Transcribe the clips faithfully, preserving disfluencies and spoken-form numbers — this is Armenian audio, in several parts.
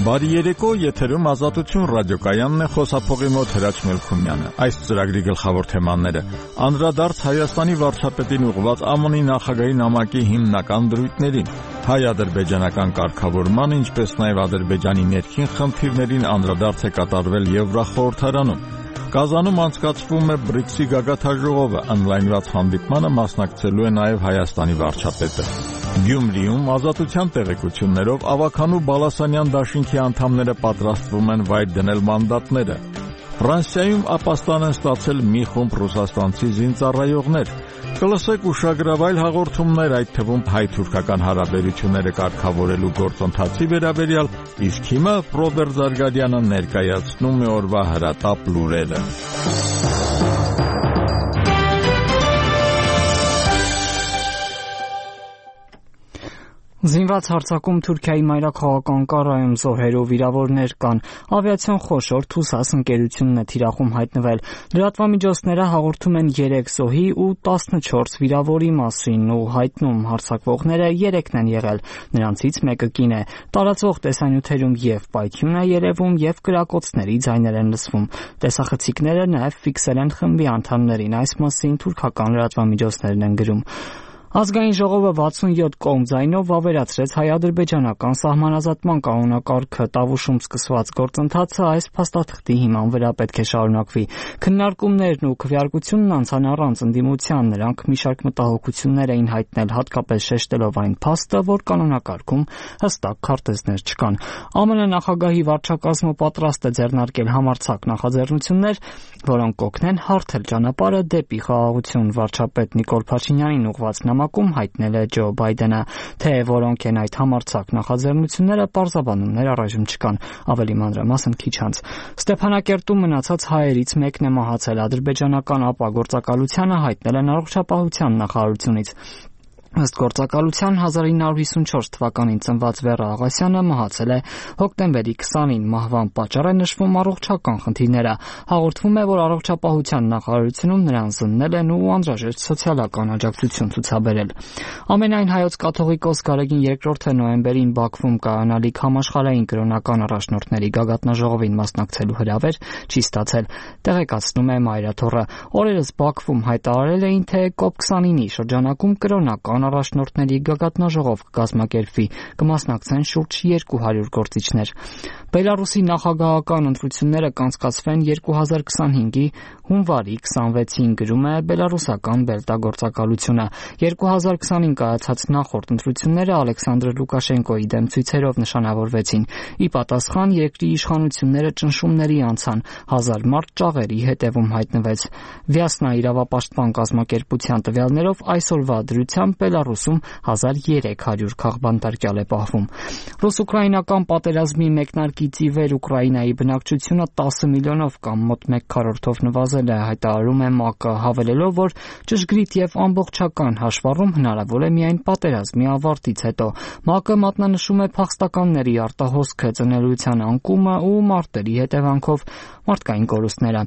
Բարի երեկո, եթերում Ազատություն ռադիոկայանն է, խոսափողի մոտ Հրաչ Մելքումյանը։ Այս ծրագրի գլխավոր թեմաները՝ անդրադարձ Հայաստանի վարչապետին ուղղված ԱՄՆ-ի նախագահի նամակի հիմնական դրույթներին, հայ-ադրբեջանական կարգավորման, ինչպես նաև Ադրբեջանի ներքին խնդիրներին անդրադարձ է կատարվել Եվրախորհրդարանում։ Կազանում անցկացվում է բրիքսի գագաթաժողովը, ընդլայնված հանդիպմանը մասնակցելու է նաև Հայաստանի վարչապետը։ Գյումրիում Ազատության տեղեկություններով Ավագանու Բալասանյան դաշինքի անդամները պատրաստվում են վայր դնել մանդատները։ Ֆրանսիայում ապաստան են ստացել մի խումբ ռուսաստանցի զինծառայողներ։ Կլսեք ուշագրավայր հաղորդումներ, այդ թվում հայ-թուրքական հարաբերությունները կարգավորելու գործընթացի վերաբերյալ, իսկ հիմա Ռոբերտ Զարգարյանը ներկայացնում է օրվա հրատապ լուրերը։ Զինված հարձակում Թուրքիայի մայրաքաղաք Անկարայում զոհեր ու վիրավորներ կան։ Ավիացիոն խոշոր Թուսաս ընկերությունն է թիրախում հայտնվել։ Լրատվամիջոցները հաղորդում են երեք զոհի ու տասնչորս վիրավորի մասին ու հայտնում հարձակվողները երեքն են եղել։ Նրանցից մեկը կին է։ Տարածվող տեսանյութերում եւ պայթյուն է երևում եւ կրակոցների ձայներ են լսվում։ Տեսախցիկները նաեւ ֆիքսել են խմբի անդամներին, այս մասին թուրքական լրատվամիջոցներն են գրում։ Ազգային ժողովը վաթսունյոթ կողմ ձայնով վավերացրեց հայ-ադրբեջանական սահմանազատման կանոնակարգը, Տավուշում սկսված գործընթացը այս փաստաթղթի հիման վրա պետք է շարունակվի։ Քննարկումներն ու քվեարկությունն անցան առանց ընդդիմության, նրանք մի շարք մտահոգություններ էին հայտնել, հատկապես շեշտելով այն փաստը, որ կանոնակարգում հստակ քարտեզներ չկան։ ԱՄՆ նախագահի վարչակազմը պատրաստ է ձեռնարկել համարձակ նախաձեռնություններ, որոնք կօգնեն հարթել ճանապարհը դեպի խաղաղություն, վարչապետ Նիկոլ Փաշինյանին ուղղված նամակում հայտնել է Ջո Բայդենը, թե որոնք են այդ համարձակ նախաձեռնությունները, պարզաբանումներ առայժմ չկան, ավելի մանրամասն քիչ անց։ Ստեփանակերտում մնացած հայերից մեկն է մահացել, ադրբեջանական ԱՊԱ գործակալությանը հայտնել են առողջապահության նախարարությունից։ Ըստ գործակալության հազար ինը հարյուր հիսունչորս թվականին ծնված Վերա Աղասյանը մահացել է հոկտեմբերի քսանին, մահվան պատճառ է նշվում առողջական խնդիրները։ Հաղորդվում է, որ առողջապահության նախարարությունում նրան զննել են ու անհրաժեշտ սոցիալական աջակցություն ցուցաբերել։ Ամենայն հայոց կաթողիկոս Գարեգին երկրորդը նոյեմբերին Բաքվում կայանալիք համաշխարհային կրոնական առաջնորդների գագաթնաժողովին մասնակցելու հրավեր չի ստացել, տեղեկացնում է Մայրաթոռը։ Օրերս Բաքվում հայտարարել էին, թե կոպ քսանինի շրջանակում կրոնական առաջնորդների գագաթնաժողով կկազմակերպվի, կմասնակցեն շուրջ երկու հարյուր գործիչներ։ Բելարուսի նախագահական ընտրությունները կանցկացվեն երկու հազար քսանհինգի հունվարի քսանվեցին, գրում է բելարուսական Բելտա-գործակալությունը։ երկու հազար քսանին կայացած նախորդ ընտրությունները Ալեքսանդր Լուկաշենկոյի դեմ ցույցերով նշանավորվեցին։ Ի պատասխան երկրի իշխանությունները ճնշումների անցան, հազար մարդ ճաղերի հետևում հայտնվեց։ Վյասնա իրավապաշտպան կազմակերպության տվյալներով այսօրվա դրությամբ Բելարուսում հազար երեք հարյուր քաղբանտարկյալ է պահվում։ Ռուս-ուկրաինական պատերազմի մեկնարկից ի վեր Ուկրաինայի բնակչությունը տասը միլիոնով կամ մոտ մեկ քառորդով նվազել է, հայտարարում է ՄԱԿ-ը, հավելելով, որ ճշգրիտ եւ ամբողջական հաշվառում հնարավոր է միայն պատերազմի ավարտից հետո։ ՄԱԿ-ը մատնանշում է փախստականների արտահոսքը, ծնելիության անկումը ու մարտերի հետևանքով մարդկային կորուստները։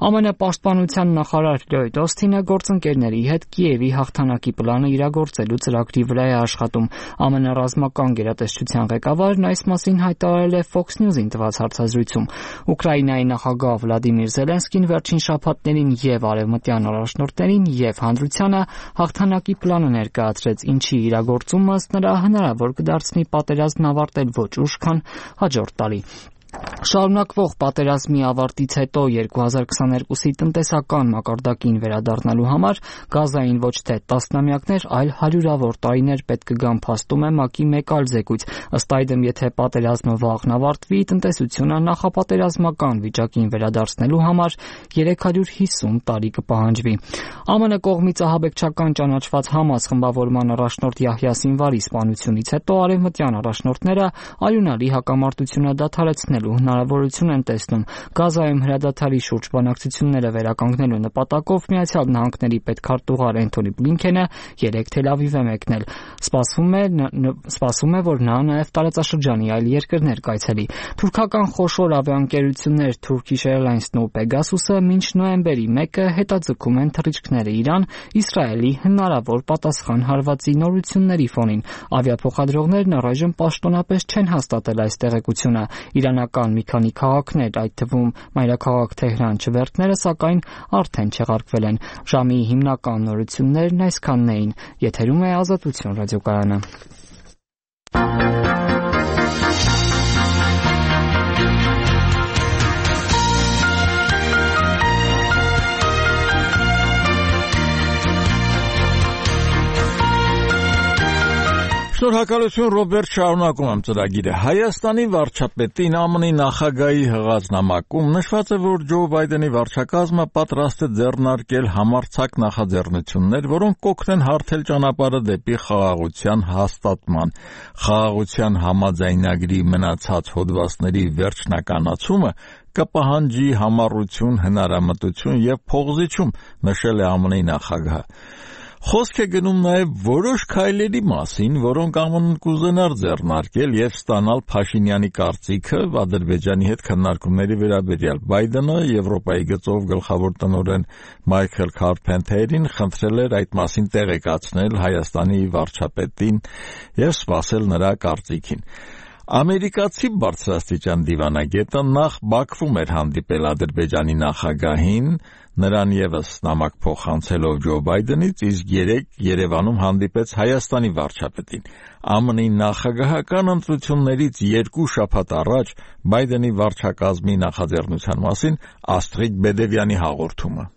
ԱՄՆ պաշտպանության նախարար Լյոյդ Օսթինը գործընկերների հետ Կիևի հաղթանակի պլանը իրագործելու ծրագրի վրա է աշխատում։ ԱՄՆ ռազմական գերատեսչության ղեկավարն այս մասին հայտարարել է Fox News-ին տված հարցազրույցում։ Ուկրաինայի նախագահ Վլադիմիր Զելենսկին վերջին շաբաթներին եւ արևմտյան առաջնորդներին եւ հանրությանը հաղթանակի պլանը ներկայացրեց, ինչի իրագործումը ըստ նրա հնարավոր կդարձնի պատերազմն ավարտել ոչ ուշ, քան հաջորդ տարի։ Շարունակվող պատերազմի ավարտից հետո երկու հազար քսաներկուսի տնտեսական մակարդակին վերադառնալու համար Գազային ոչ թե տասնամյակներ, այլ հարյուրավոր տարիներ պետք կգան, փաստում է ՄԱԿ-ի մեկ այլ զեկույց։ Ըստ այդմ, եթե պատերազմը վաղն ավարտվի, տնտեսությունը նախապատերազմական վիճակին վերադարձնելու համար երեք հարյուր հիսուն տարի կպահանջվի։ ԱՄՆ կողմից ահաբեկչական ճանաչված Համաս խմբավորման առաջնորդ Յահյա Սինվարի սպանությունից հետո արևմտյան առաջնորդները արյունալի հակամարտությունը դադարեցնելու հնարավորություն են տեսնում Գազայում հրադադարի շուրջ բանակցությունները վերականգնելու նպատակով Միացյալ Նահանգների պետքարտուղար Էնթոնի Բլինքենը երեկ Թել Ավիվ է մեկնել։ Սպասվում է, սպասվում է, որ նա նաև տարածաշրջանի այլ երկրներ կայցելի։ Թուրքական խոշոր ավիաընկերություններ Turkish Airlines-ն ու Pegasus-ը մինչ նոյեմբերի մեկը հետաձգում են թռիչքները Իրան Իսրայելի հնարավոր պատասխան հարվածի նորությունների ֆոնին։ Ավիափոխադրողներն առայժմ պաշտոնապես չեն հաստատել այս տեղեկությունը։ Իրանական մի քանի քաղաքներ, այդ թվում մայրաքաղաք Թեհրան չվերթները, սակայն արդեն չեղարկվել են։ Ժամի հիմնական նորություններն այսքանն էին։ Եթերում է Ազատություն ռադիոկայանը։ Շնորհակալություն Ռոբերտ, շարունակում եմ ծրագիրը։ Հայաստանի վարչապետին ԱՄՆ-ի նախագահի հղած նամակում նշված է, որ Ջո Բայդենի վարչակազմը պատրաստ է ձեռնարկել համարձակ նախաձեռնություններ, որոնք կօգնեն հարթել ճանապարհը դեպի խաղաղության հաստատման։ Խաղաղության համաձայնագրի մնացած հոդվածների վերջնականացումը կպահանջի համառություն, հնարամտություն եւ փողզիչում, նշել է ԱՄՆ-ի նախագահը։ Խոսք է գնում նաև որոշ քայլերի մասին, որոնք ԱՄՆ-ն կուզենար ձեռնարկել եւ ստանալ Փաշինյանի կարծիքը Ադրբեջանի հետ քննարկումների վերաբերյալ։ Բայդենը Եվրոպայի գծով գլխավոր տնօրեն Մայքլ Քարփենթերին խնդրել էր այդ մասին տեղեկացնել Հայաստանի վարչապետին եւ սպասել նրա կարծիքին։ Ամերիկացի բարձրաստիճան դիվանագետը նախ Բաքվում էր հանդիպել Ադրբեջանի նախագահին, նրան եւս նամակ փոխանցելով Ջո Բայդենից, իսկ երեկ Երևանում հանդիպեց Հայաստանի վարչապետին։ ԱՄՆ-ի նախագահական ընտրություններից երկու շաբաթ առաջ Բայդենի վարչակազմի նախաձեռնության մասին Աստրիդ Բեդևյանի հաղորդումը։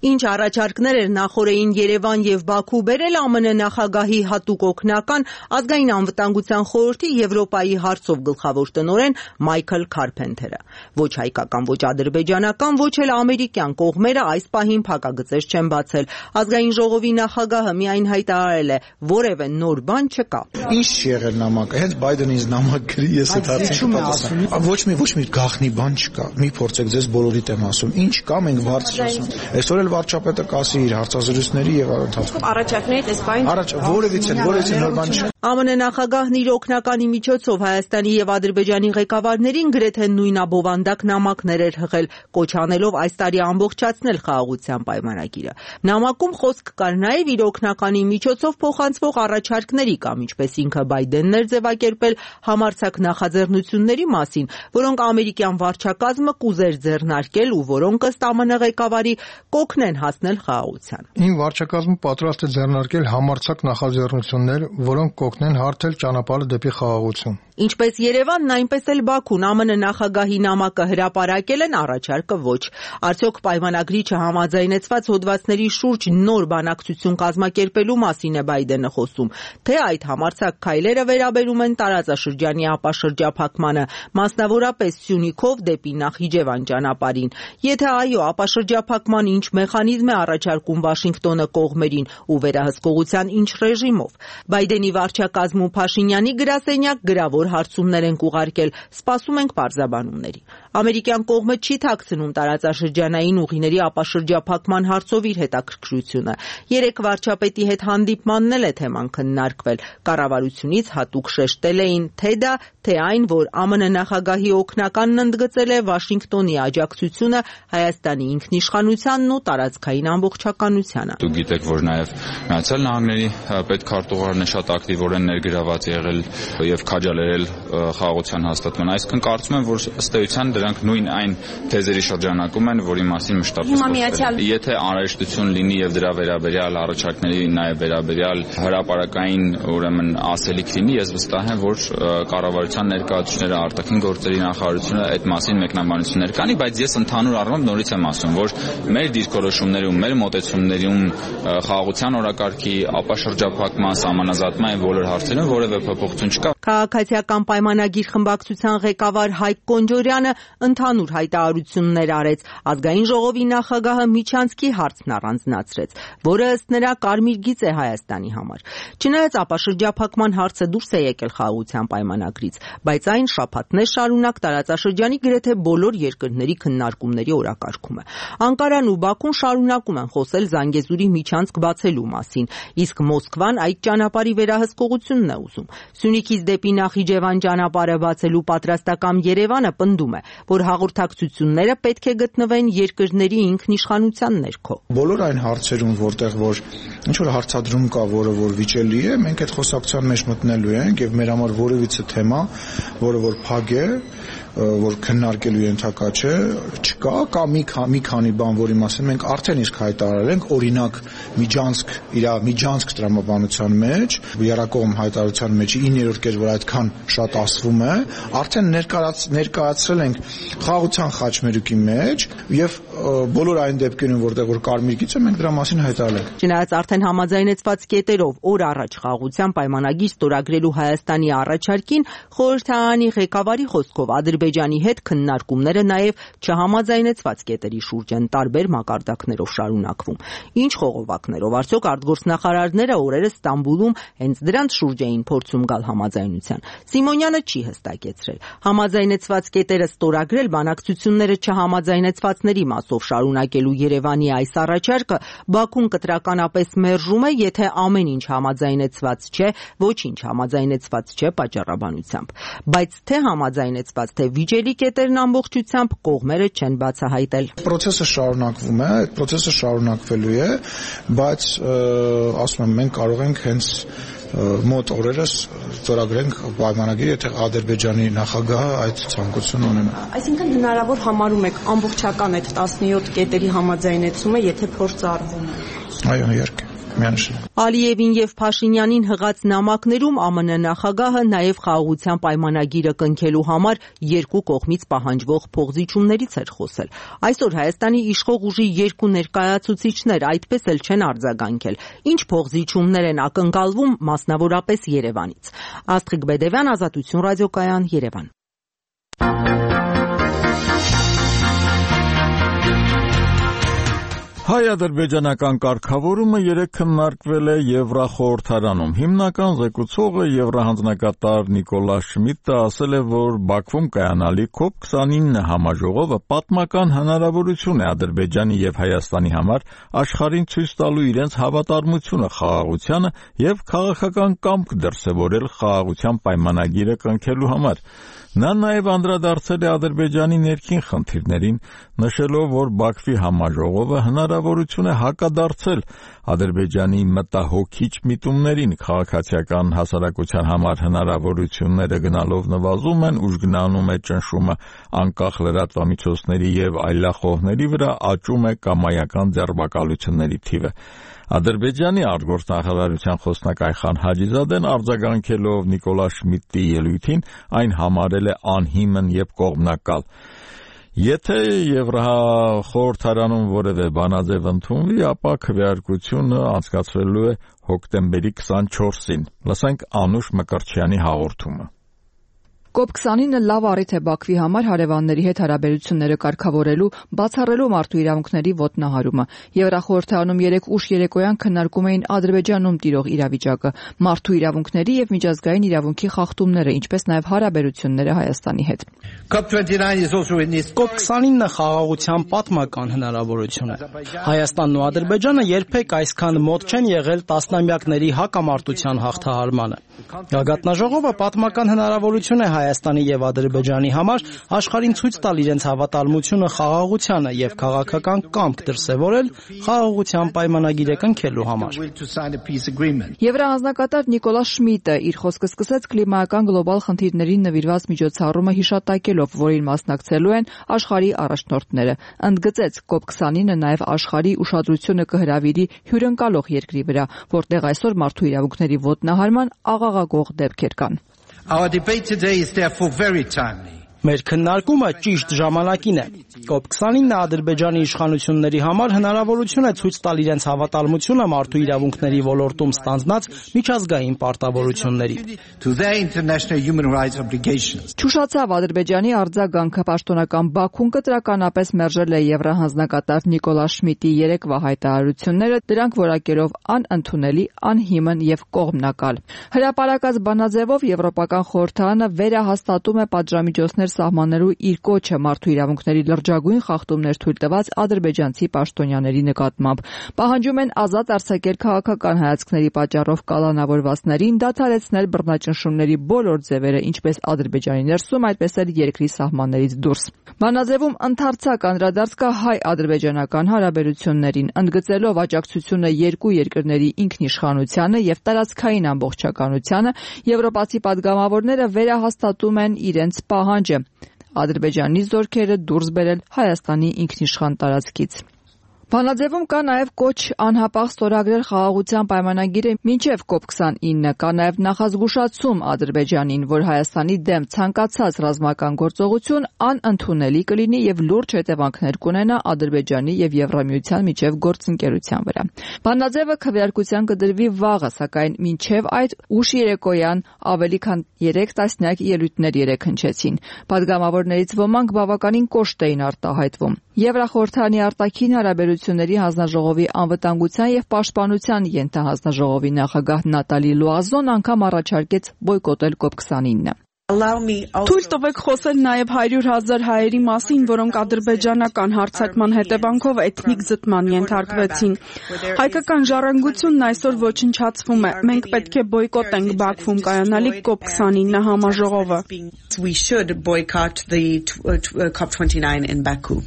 Ինչ առաջարկներ էր նախորդին Երևան եւ Բաքու բերել ԱՄՆ նախագահի հատուկ օգնական ազգային անվտանգության խորհրդի Եվրոպայի հարցով գլխավոր տնօրեն Մայքլ Քարփենթերը։ Ոչ հայկական, ոչ ադրբեջանական, ոչ էլ ամերիկյան կողմերը այս պահին փակագծեր չեն բացել։ Ազգային ժողովի նախագահը միայն հայտարարել է, որևէ նոր բան չկա։ Ինչ չի եղել նամակը, հենց Բայդենից նամակ գրի, ես այդ հարցին պատասխան։ Ոչ մի ոչ մի գաղտնի բան չկա։ Մի փորձեք ձեզ բոլորիդ եմ ասում։ Ինչ կա, մենք բարձր ասում։ Այսօր էլ վարչապետը կասի իր հարցազրույցների եւ ընթացքում։ Առաջարկներից այս բան Առաջ որևիցե որևիցե նոր բան չի։ ԱՄՆ նախագահն իր օգնականի միջոցով Հայաստանի եւ Ադրբեջանի ղեկավարներին գրեթե նույնաբովանդակ նամակներ էր հղել, կոչ անելով այս տարի ամբողջացնել խաղաղության պայմանագիրը։ Նամակում խոսք կար նաեւ իր օգնականի միջոցով փոխանցվող առաջարկների կամ ինչպես ինքը Բայդենն էր ձևակերպել համարձակ նախաձեռնությունների մասին, որոնք ամերիկյան վարչակազմը կուզեր ձեռնարկել ու որոնք ըստ ԱՄՆ ղեկավարի կօգնեն հասնել խաղաղության։ Իմ վարչակազմը պատրաստ է ձեռնարկել համարձակ նախաձեռնություններ, որոնք կօգնեն հարթել ճանապարհը դեպի խաղաղություն։ Ինչպես Երևանն, այնպես էլ Բաքուն ԱՄՆ նախագահի նամակը հրապարակել են, առաջարկը ոչ։ Արդյոք պայմանագրի չհամաձայնեցված հոդվածների շուրջ նոր բանակցություն կազմակերպելու մասին է Բայդենը խոսում, թե այդ համարձակ քայլերը վերաբերում են տարածաշրջանի ապաշրջափակմանը, մասնավորապես Սյունիքով դեպի Նախիջևան ճանապարհին։ Եթե այո, ապաշրջափակման ինչ մեխանիզմ է առաջարկում Վաշինգտոնը կողմերին ու վերահսկողության ինչ ռեժիմով։ Բայդենի վարչակազմում Փաշինյանի գրասենյակ գրավոր հարցումներ են ուղարկել, սպասում ենք պարզաբանումների։ Ամերիկյան կողմը չի թաքցնում տարածաշրջանային ուղիների ապաշրջափակման հարցով իր հետաքրքրությունը։ Երեք վարչապետի հետ հանդիպմանն էլ է թեման քննարկվել։ Կառավարությունից հատուկ շեշտել էին թե դա, թե այն, որ ԱՄՆ նախագահի օգնականն ընդգծել է Վաշինգտոնի աջակցությունը Հայաստանի ինքնիշխանությանն ու տարածքային ամբողջականությանը։ Դուք գիտեք, որ նաև Միացյալ Նահանգների պետքարտուղարն է շատ ակտիվորեն ներգրաված եղել եւ քաջալերել խաղաղության հաստատման։ Այսինքն կարծում եմ, որ ըստ էության դրանք նույն այն թեզերի շրջանակում են, որի մասին մշտապես խոսել։ Եթե անհրաժեշտություն լինի եւ դրա վերաբերյալ առաջարկների նաեւ վերաբերյալ հրապարակային, ուրեմն ասելիք լինի, ես վստահ եմ, որ կառավարության ներկայացուցիչները, արտաքին գործերի նախարարությունը այդ մասին մեկնաբանություններ կանի, բայց ես ընդհանուր առմամբ նորից եմ ասում, որ մեր դիրքորոշումներում, մեր մոտեցումներում խաղաղության օրակարգի ապաշրջափակման, սահմանազատման եւ բոլոր հարցերում որևէ փոփոխություն չկա։ Քաղաքացիական պայմանագիր խմբակցության ղեկավար Հայկ Կոնջորյանը ընդհանուր հայտարարություններ արեց, ազգային ժողովի նախագահը միջանցքի հարցն առանձնացրեց, որը ըստ նրա կարմիր գիծ է Հայաստանի համար։ Չնայած ապաշրջափակման հարցը դուրս է եկել խաղաղության պայմանագրից, բայց այն շաբաթներ շարունակ տարածաշրջանի գրեթե բոլոր երկրների քննարկումների օրակարգում է։ Անկարան ու Բաքուն շարունակում են խոսել Զանգեզուրի միջանցք բացելու մասին, իսկ Մոսկվան այդ ճանապարհի վերահսկողությունն է ուզում։ Սյունիքից դեպի Նախիջևան ճանապարհը բացելու պատրաստական Երևանը պնդում է, որ հաղորդակցությունները պետք է գտնվեն երկրների ինքնիշխանության ներքո։ Բոլոր այն հարցերում, որտեղ որ ինչ որ հարցադրում կա, որը որ վիճելի է, մենք այդ խոսակցության մեջ մտնելու ենք եւ մեր համար որևիցե թեմա, որը որ փակ է, որ քննարկելու ենթակա չէ, չկա, կա մի մի քանի բան, որի մասին մենք արդեն իսկ հայտարարել ենք, օրինակ միջանցք, իր միջանցք տրամաբանության մեջ, երակողմ հայտարարության մեջ իններորդ կեր, որ այդքան շատ ասվում է, արդեն ներկայացրել ենք խաղաղության խաչմերուկի մեջ եւ բոլոր այն դեպքերում, որտեղ որ կարմիր գիծ է, մենք դրա մասին հայտարարել ենք։ Չնայած արդեն համաձայնեցված կետերով օր առաջ խաղաղության պայմանագիր ստորագրելու Հայաստանի առաջարկին, խորհրդարանի ղեկավարի խոսքով Ադրբեջանի հետ քննարկումները նաև չհամաձայնեցված կետերի շուրջ են տարբեր մակարդակներով շարունակվում։ Ինչ խողովակներով, արդյոք արտգործնախարարները օրերս Ստամբուլում հենց դրանց շուրջ էին փորձում գալ համաձայնության։ Սիմոնյանը չի հստակեցրել։ Համաձայնեցված կետերը ստորագրել բանակցությունները չհամաձայնեցվածների մասով շարունակելու Երևանի այս առաջարկը Բաքուն կտրականապես մերժում է, եթե ամեն ինչ համաձայնեցված չէ, ոչինչ համաձայնեցված չէ պատճառաբանությամբ։ Բայց թե համաձայնեցված, թե վիճելի կետերն ամբողջությամբ կողմերը չեն բացահայտել։ Պրոցեսը շարունակվում է, այդ պրոցեսը շարունակվելու է, բայց ասում եմ, մենք կարող ենք հենց մոտ օրերս ստորագրենք պայմանագիր, եթե Ադրբեջանի նախագահը այդ ցանկությունն ունենա։ Այսինքն հնարավոր համարում եք ամբողջական այդ տասնյոթ կետերի համաձայնեցումը, եթե փորձ արվում է։ Այո, իհարկե։ Ալիևին եւ Փաշինյանին հղած նամակներում ԱՄՆ նախագահը նաեւ խաղաղության պայմանագիրը կնքելու համար երկու կողմից պահանջվող փոխզիջումներից էր խոսել։ Այսօր Հայաստանի իշխող ուժի երկու ներկայացուցիչներ այդպես էլ չեն արձագանքել։ Ինչ փոխզիջումներ են ակնկալվում մասնավորապես Երևանից։ Աստղիկ Բեդևյան, Ազատություն ռադիոկայան, Երևան։ Հայ-ադրբեջանական կարգավորումը երեկ քննարկվել է Եվրախորհրդարանում։ Հիմնական զեկուցողը Եվրահանձնակատար Նիկոլա Շմիդտը ասել է, որ Բաքվում կայանալի քոփ քսանինը համաժողովը պատմական հնարավորություն է Ադրբեջանի եւ Հայաստանի համար աշխարհին ցույց տալու իրենց հավատարմությունը խաղաղությանը եւ քաղաքական կամք դրսեւորել խաղաղության պայմանագիրը կնքելու համար։ Նա նաև անդրադարձել է Ադրբեջանի ներքին խնդիրներին, նշելով, որ Բաքվի համաժողովը հնարավորություն է հակադարձել Ադրբեջանի մտահոգիչ միտումներին, քաղաքացիական հասարակության համար հնարավորությունները գնալով նվազում են, ուժգնանում է ճնշումը անկախ լրատվամիջոցների եւ այլախոհների վրա, աճում է կամայական ձերբակալությունների թիվը։ Ադրբեջանի արտգործնախարարության խոսնակ Այխան Հաջիզադեն արձագանքելով Նիկոլա Շմիդտի ելույթին այն համարել է անհիմն եւ կողմնակալ։ Եթե Եվրախորհրդարանում որևէ բանաձև ընդունվի, ապա քվեարկությունը անցկացվելու է հոկտեմբերի քսանչորսին։ Լսենք Անուշ Մկրտչյանի հաղորդումը։ կոպ քսանինը լավ առիթ է Բաքվի համար հարևանների հետ հարաբերությունները կարգավորելու, բացառելու մարդու իրավունքների ոտնահարումը։ Եվրախորհրդարանում երեկ ուշ երեկոյան քննարկում էին Ադրբեջանում տիրող իրավիճակը, մարդու իրավունքների եւ միջազգային իրավունքի խախտումները, ինչպես նաեւ հարաբերությունները Հայաստանի հետ։ կոպ քսանինը խաղաղության պատմական հնարավորություն է։ Հայաստանն ու Ադրբեջանը երբեք այսքան մոտ չեն եղել տասնամյակների հակամարտության հաղթահարմանը։ Գագաթնաժողովը պատմական հնարավորություն է Հայաստանի եւ Ադրբեջանի համար աշխարհին ցույց տալ իրենց հավատարմությունը խաղաղությանը եւ քաղաքական կամք դրսեւորել խաղաղության պայմանագիրը կնքելու համար։ Եվրահանձնակատար Նիկոլա Շմիդտը իր խոսքը սկսեց կլիմայական գլոբալ խնդիրներին նվիրված միջոցառումը հիշատակելով, որին մասնակցելու են աշխարհի առաջնորդները։ Ընդգծեց, կոպ քսանինը նաեւ աշխարհի ուշադրությունը կհրավիրի հյուրընկալող երկրի վրա, որտեղ այսօր մարդու իրավունքների ոտնահարման աղաղակող դեպքեր կան։ Our debate today is therefore very timely. Մեր քննարկումը ճիշտ ժամանակին է։ կոպ քսանինը Ադրբեջանի իշխանությունների համար հնարավորություն է ցույց տալ իրենց հավատարմությունը մարդու իրավունքների ոլորտում ստանձնած միջազգային պարտավորությունների։ Չուշացավ Ադրբեջանի արձագանքը պաշտոնական Բաքուն կտրականապես մերժել է եվրահանձնակատար Նիկոլա Շմիդտի երեկվա հայտարարությունները, դրանք որակելով անընդունելի, անհիմն եւ կողմնակալ։ Հրապարակած բանաձևով Եվրոպական խորհրդարանը վերահաստատում է պատժամիջոցներ սահմանելու իր կոչը մարդու իրավունքների լրջագույն խախտումներ թույլ տված ադրբեջանցի պաշտոնյաների նկատմամբ։ Պահանջում են ազատ արձակել քաղաքական հայացքների պատճառով կալանավորվածներին, դադարեցնել բռնաճնշումների բոլոր ձևերը, ինչպես Ադրբեջանի ներսում, այդպես էլ երկրի սահմաններից դուրս։ Բանաձևում ընդարձակ անդրադարձ կա հայ-ադրբեջանական հարաբերություններին, ընդգծելով աջակցությունը երկու երկրների ինքնիշխանությանը եւ տարածքային ամբողջականությանը, եվրոպացի պատգամավորները վերահաստատում են իրենց պահանջը Ադրբեջանի զորքերը դուրս բերել Հայաստանի ինքնիշխան տարածքից։ Բանաձևում կա նաև կոչ անհապաղ ստորագրել խաղաղության պայմանագիրը մինչև կոպ քսանինը, կա նաև նախազգուշացում Ադրբեջանին, որ Հայաստանի դեմ ցանկացած ռազմական գործողություն անընդունելի կլինի եւ լուրջ հետևանքներ կունենա Ադրբեջանի եւ Եվրամիության միջև գործընկերության վրա։ Բանաձևը քվեարկության կդրվի վաղը, սակայն մինչև այդ ուշ երեկոյան ավելի քան երեք տասնյակ ելույթներ երեքհնչեցին։ Պատգամավորներից ոմանք բավականին կոշտ էին արտահայտվում։ Եվրախորհրդարանի արտաքին հարաբերությունների հանձնաժողովի անվտանգության եւ պաշտպանության ենթահանձնաժողովի նախագահ Նատալի Լուազոն անգամ առաջարկեց բոյկոտել կոպ քսանինը։ Թույլ տվեք խոսել նաև հարյուր հազար հայերի մասին, որոնք ադրբեջանական հարձակման հետևանքով էթնիկ զտման ենթարկվեցին։ Հայկական ժառանգությունն այսօր ոչնչացվում է։ Մենք պետք է բոյկոտենք Բաքվում կայանալիք կոպ քսանինը համաժողովը։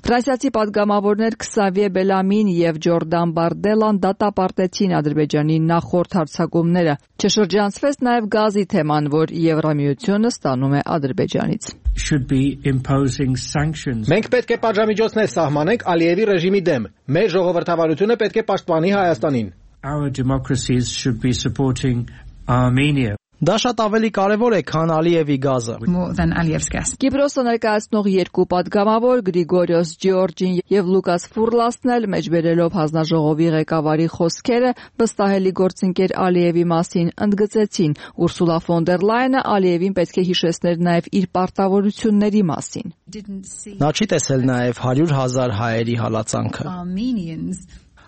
Ֆրանսիացի պատգամավորներ Քսավիե Բելամին եւ Ջորդան Բարդելան դատապարտեցին Ադրբեջանի նախորդ հարձակումները։ Չշրջանցվեց նաև գազի թեման, որ Եվրամիությունը ստանում է Ադրբեջանից։ Մենք պետք է պատժամիջոցներ սահմանենք Ալիևի ռեժիմի դեմ։ Մեր ժողովրդավարությունը պետք է պաշտպանի Հայաստանին։ Դա շատ ավելի կարևոր է, քան Ալիևի գազը։ Կիպրոսը ներկայացնող երկու պատգամավոր Գրիգորիոս Ջիորջին եւ Լուկաս Ֆուրլասն էլ մեջբերելով հանձնաժողովի ղեկավարի խոսքերը վստահելի գործընկեր Ալիևի մասին ընդգծեցին։ Ուրսուլա ֆոն դեր Լայենը Ալիևին պետք է հիշեցներ նաեւ իր պարտավորությունների մասին։ Նա չի տեսել նաեւ հարյուր հազար հայերի հալածանքը։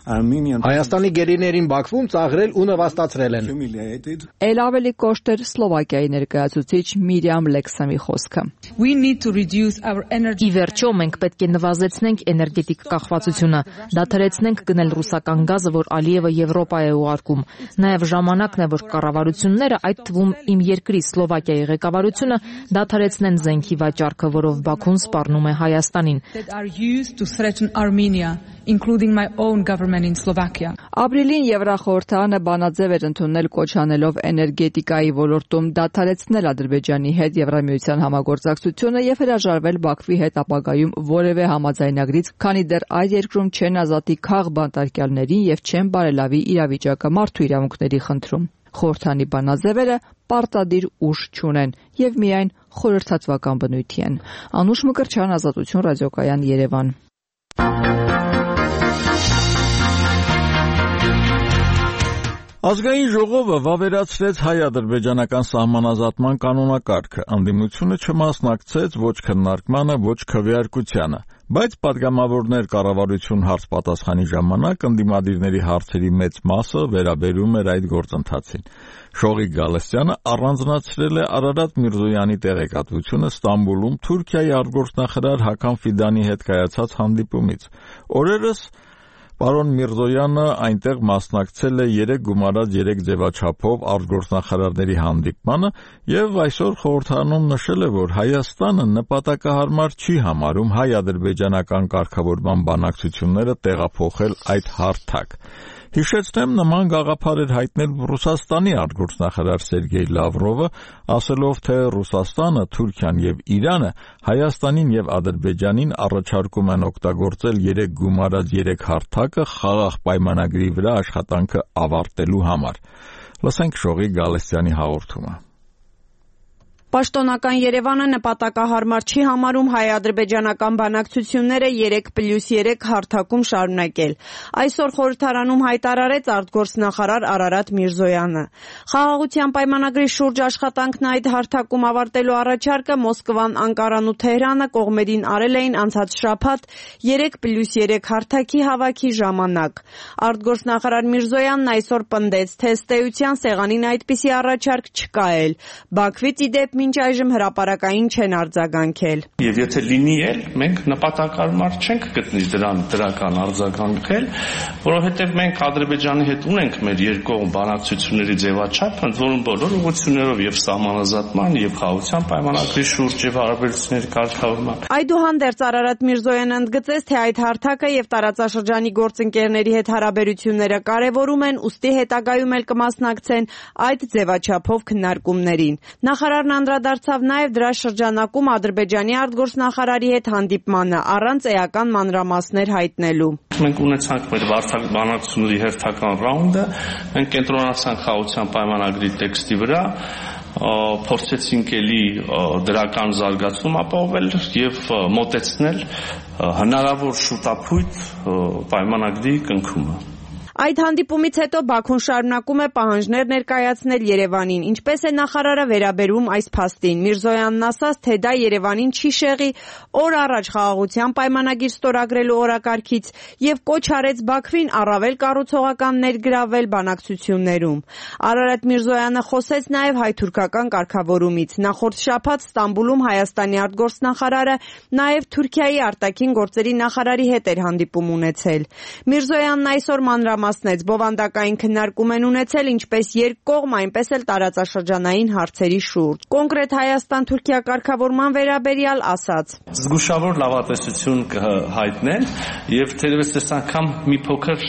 Հայաստանի գերիներին Բաքվում ծաղրել ու նվաստացրել են։ Էլ ավելի կոշտ էր Սլովակիայի ներկայացուցիչ Միրիամ Լեքսամի խոսքը։ Ի վերջո մենք պետք է նվազեցնենք էներգետիկ կախվածությունը, դադարեցնենք գնել ռուսական գազը, որ Ալիևը Եվրոպա է ուղարկում։ Նաև ժամանակն է, որ կառավարությունները, այդ թվում իմ երկրի Սլովակիայի ղեկավարությունը, դադարեցնեն զենքի վաճառքը, որով Բաքուն սպառնում է Հայաստանին։ including my own government in Slovakia. Ապրիլին Եվրախորհրդարանը բանաձև էր ընդունել կոչ անելով էներգետիկայի ոլորտում դադարեցնել Ադրբեջանի հետ Եվրամիության համագործակցությունը եւ հրաժարվել Բաքվի հետ ապագայում որևէ համաձայնագրից, քանի դեռ այդ երկրում չեն ազատի քաղ բանտարկյալներին եւ չեն բարելավի իրավիճակը մարդու իրավունքների խնդրում։ Խորհրդանի բանաձևերը պարտադիր ուժ չունեն եւ միայն խորհրդատվական բնույթի են։ Անուշ Մկրտչյան, Ազատություն ռադիոկայան, Երևան։ Ազգային ժողովը վավերացրեց հայ-ադրբեջանական սահմանազատման կանոնակարգը, ընդդիմությունը չմասնակցեց ոչ քննարկմանը, ոչ քվեարկությանը, բայց պատգամավորներ կառավարություն հարց պատասխանի ժամանակ ընդդիմադիրների հարցերի մեծ մասը վերաբերում էր այդ գործընթացին։ Շողիկ Գալստյանը առանձնացրել է Արարատ Միրզոյանի տեղեկատվությունը Ստամբուլում Թուրքիայի արտգործնախարար Հական Ֆիդանի հետ կայացած հանդիպումից։ Օրերս Պարոն Միրզոյանը այնտեղ մասնակցել է երեք գումարած երեք ձևաչափով արտգործնախարարների հանդիպմանը եւ այսօր խորհրդարանում նշել է, որ Հայաստանը նպատակահարմար չի համարում հայ-ադրբեջանական կարգավորման բանակցությունները տեղափոխել այդ հարթակ։ Հիշեցնեմ, նման գաղափար էր հայտնել Ռուսաստանի արտգործնախարար Սերգեյ Լավրովը, ասելով, թե Ռուսաստանը, Թուրքիան եւ Իրանը Հայաստանին եւ Ադրբեջանին առաջարկում են օգտագործել երեք գումարած երեք հարթակը խաղաղ պայմանագրի վրա աշխատանքը ավարտելու համար։ Լսենք Շողիկ Գալստյանի հաղորդումը։ Պաշտոնական Երևանը նպատակահարմար չի համարում հայ-ադրբեջանական բանակցությունները երեք պլյուս երեք հարթակում շարունակել։ Այսօր խորհրդարանում հայտարարեց արտգործնախարար Արարատ Միրզոյանը։ Խաղաղության պայմանագրի շուրջ աշխատանքն այդ հարթակում ավարտելու առաջարկը Մոսկվան, Անկարան ու Թեհրանը կողմերին արել էին անցած շաբաթ երեք պլյուս երեք հարթակի հավաքի ժամանակ։ Արտգործնախարար Միրզոյանն այսօր պնդեց, թե ըստ էության սեղանին այդպիսի առաջարկ չկա էլ։ Բաքվից ի դեպ մինչ այժմ հրապարակային չեն արձագանքել։ Եվ եթե լինի էլ, մենք նպատակարար չենք գտնի դրան դրական արձագանքել, որովհետև մենք Ադրբեջանի հետ ունենք մեր երկկողմ բանակցությունների ձևաչափ, ընդ որում բոլոր ուղղություններով եւ սահմանազատման եւ խաղաղության պայմանագրի շուրջ եւ հարաբերությունների կարգավորման։ Այդուհանդերձ Արարատ Միրզոյանը ընդգծեց, թե այդ հարթակը եւ տարածաշրջանի գործընկերների հետ հարաբերությունները կարեւորում են, ուստի հետագայում էլ կմասնակցեն այդ ձևաչափով քննարկումներին։ Նախարարն անդրադարձավ նաև դրա շրջանակում Ադրբեջանի արտգործնախարարի հետ հանդիպմանը, առանց էական մանրամասներ հայտնելու։ Մենք ունեցանք մեր բանակցությունների հերթական ռաունդը, մենք կենտրոնացանք խաղաղության պայմանագրի տեքստի վրա, փորձեցինք էլի դրական զարգացում ապահովել եւ մոտեցնել հնարավոր շուտապույտ պայմանագրի կնքումը։ Այդ հանդիպումից հետո Բաքուն շարունակում է պահանջներ ներկայացնել Երևանին, ինչպես է նախարարը վերաբերում այս փաստին։ Միրզոյանն ասաց, թե դա Երևանին չի շեղի օր առաջ խաղաղության պայմանագիր ստորագրելու օրակարգից եւ կոչ արեց Բաքվին առավել կառուցողական ներգրավել բանակցություններում։ Արարատ Միրզոյանը խոսեց նաեւ հայ-թուրքական կարգավորումից։ Նախորդ շաբաթ Ստամբուլում Հայաստանի արտգործնախարարը նաեւ Թուրքիայի արտաքին գործերի նախարարի հետ էր հանդիպում ունեցել։ Միրզոյանն այսօր մանրամասն մասնեց բովանդակային քննարկում են ունեցել ինչպես երկկողմ, այնպես էլ տարածաշրջանային հարցերի շուրջ։ Կոնկրետ Հայաստան-Թուրքիա կարգավորման վերաբերյալ ասաց. Զգուշավոր լավատեսություն կհայտնեն եւ թերևս այս անգամ մի փոքր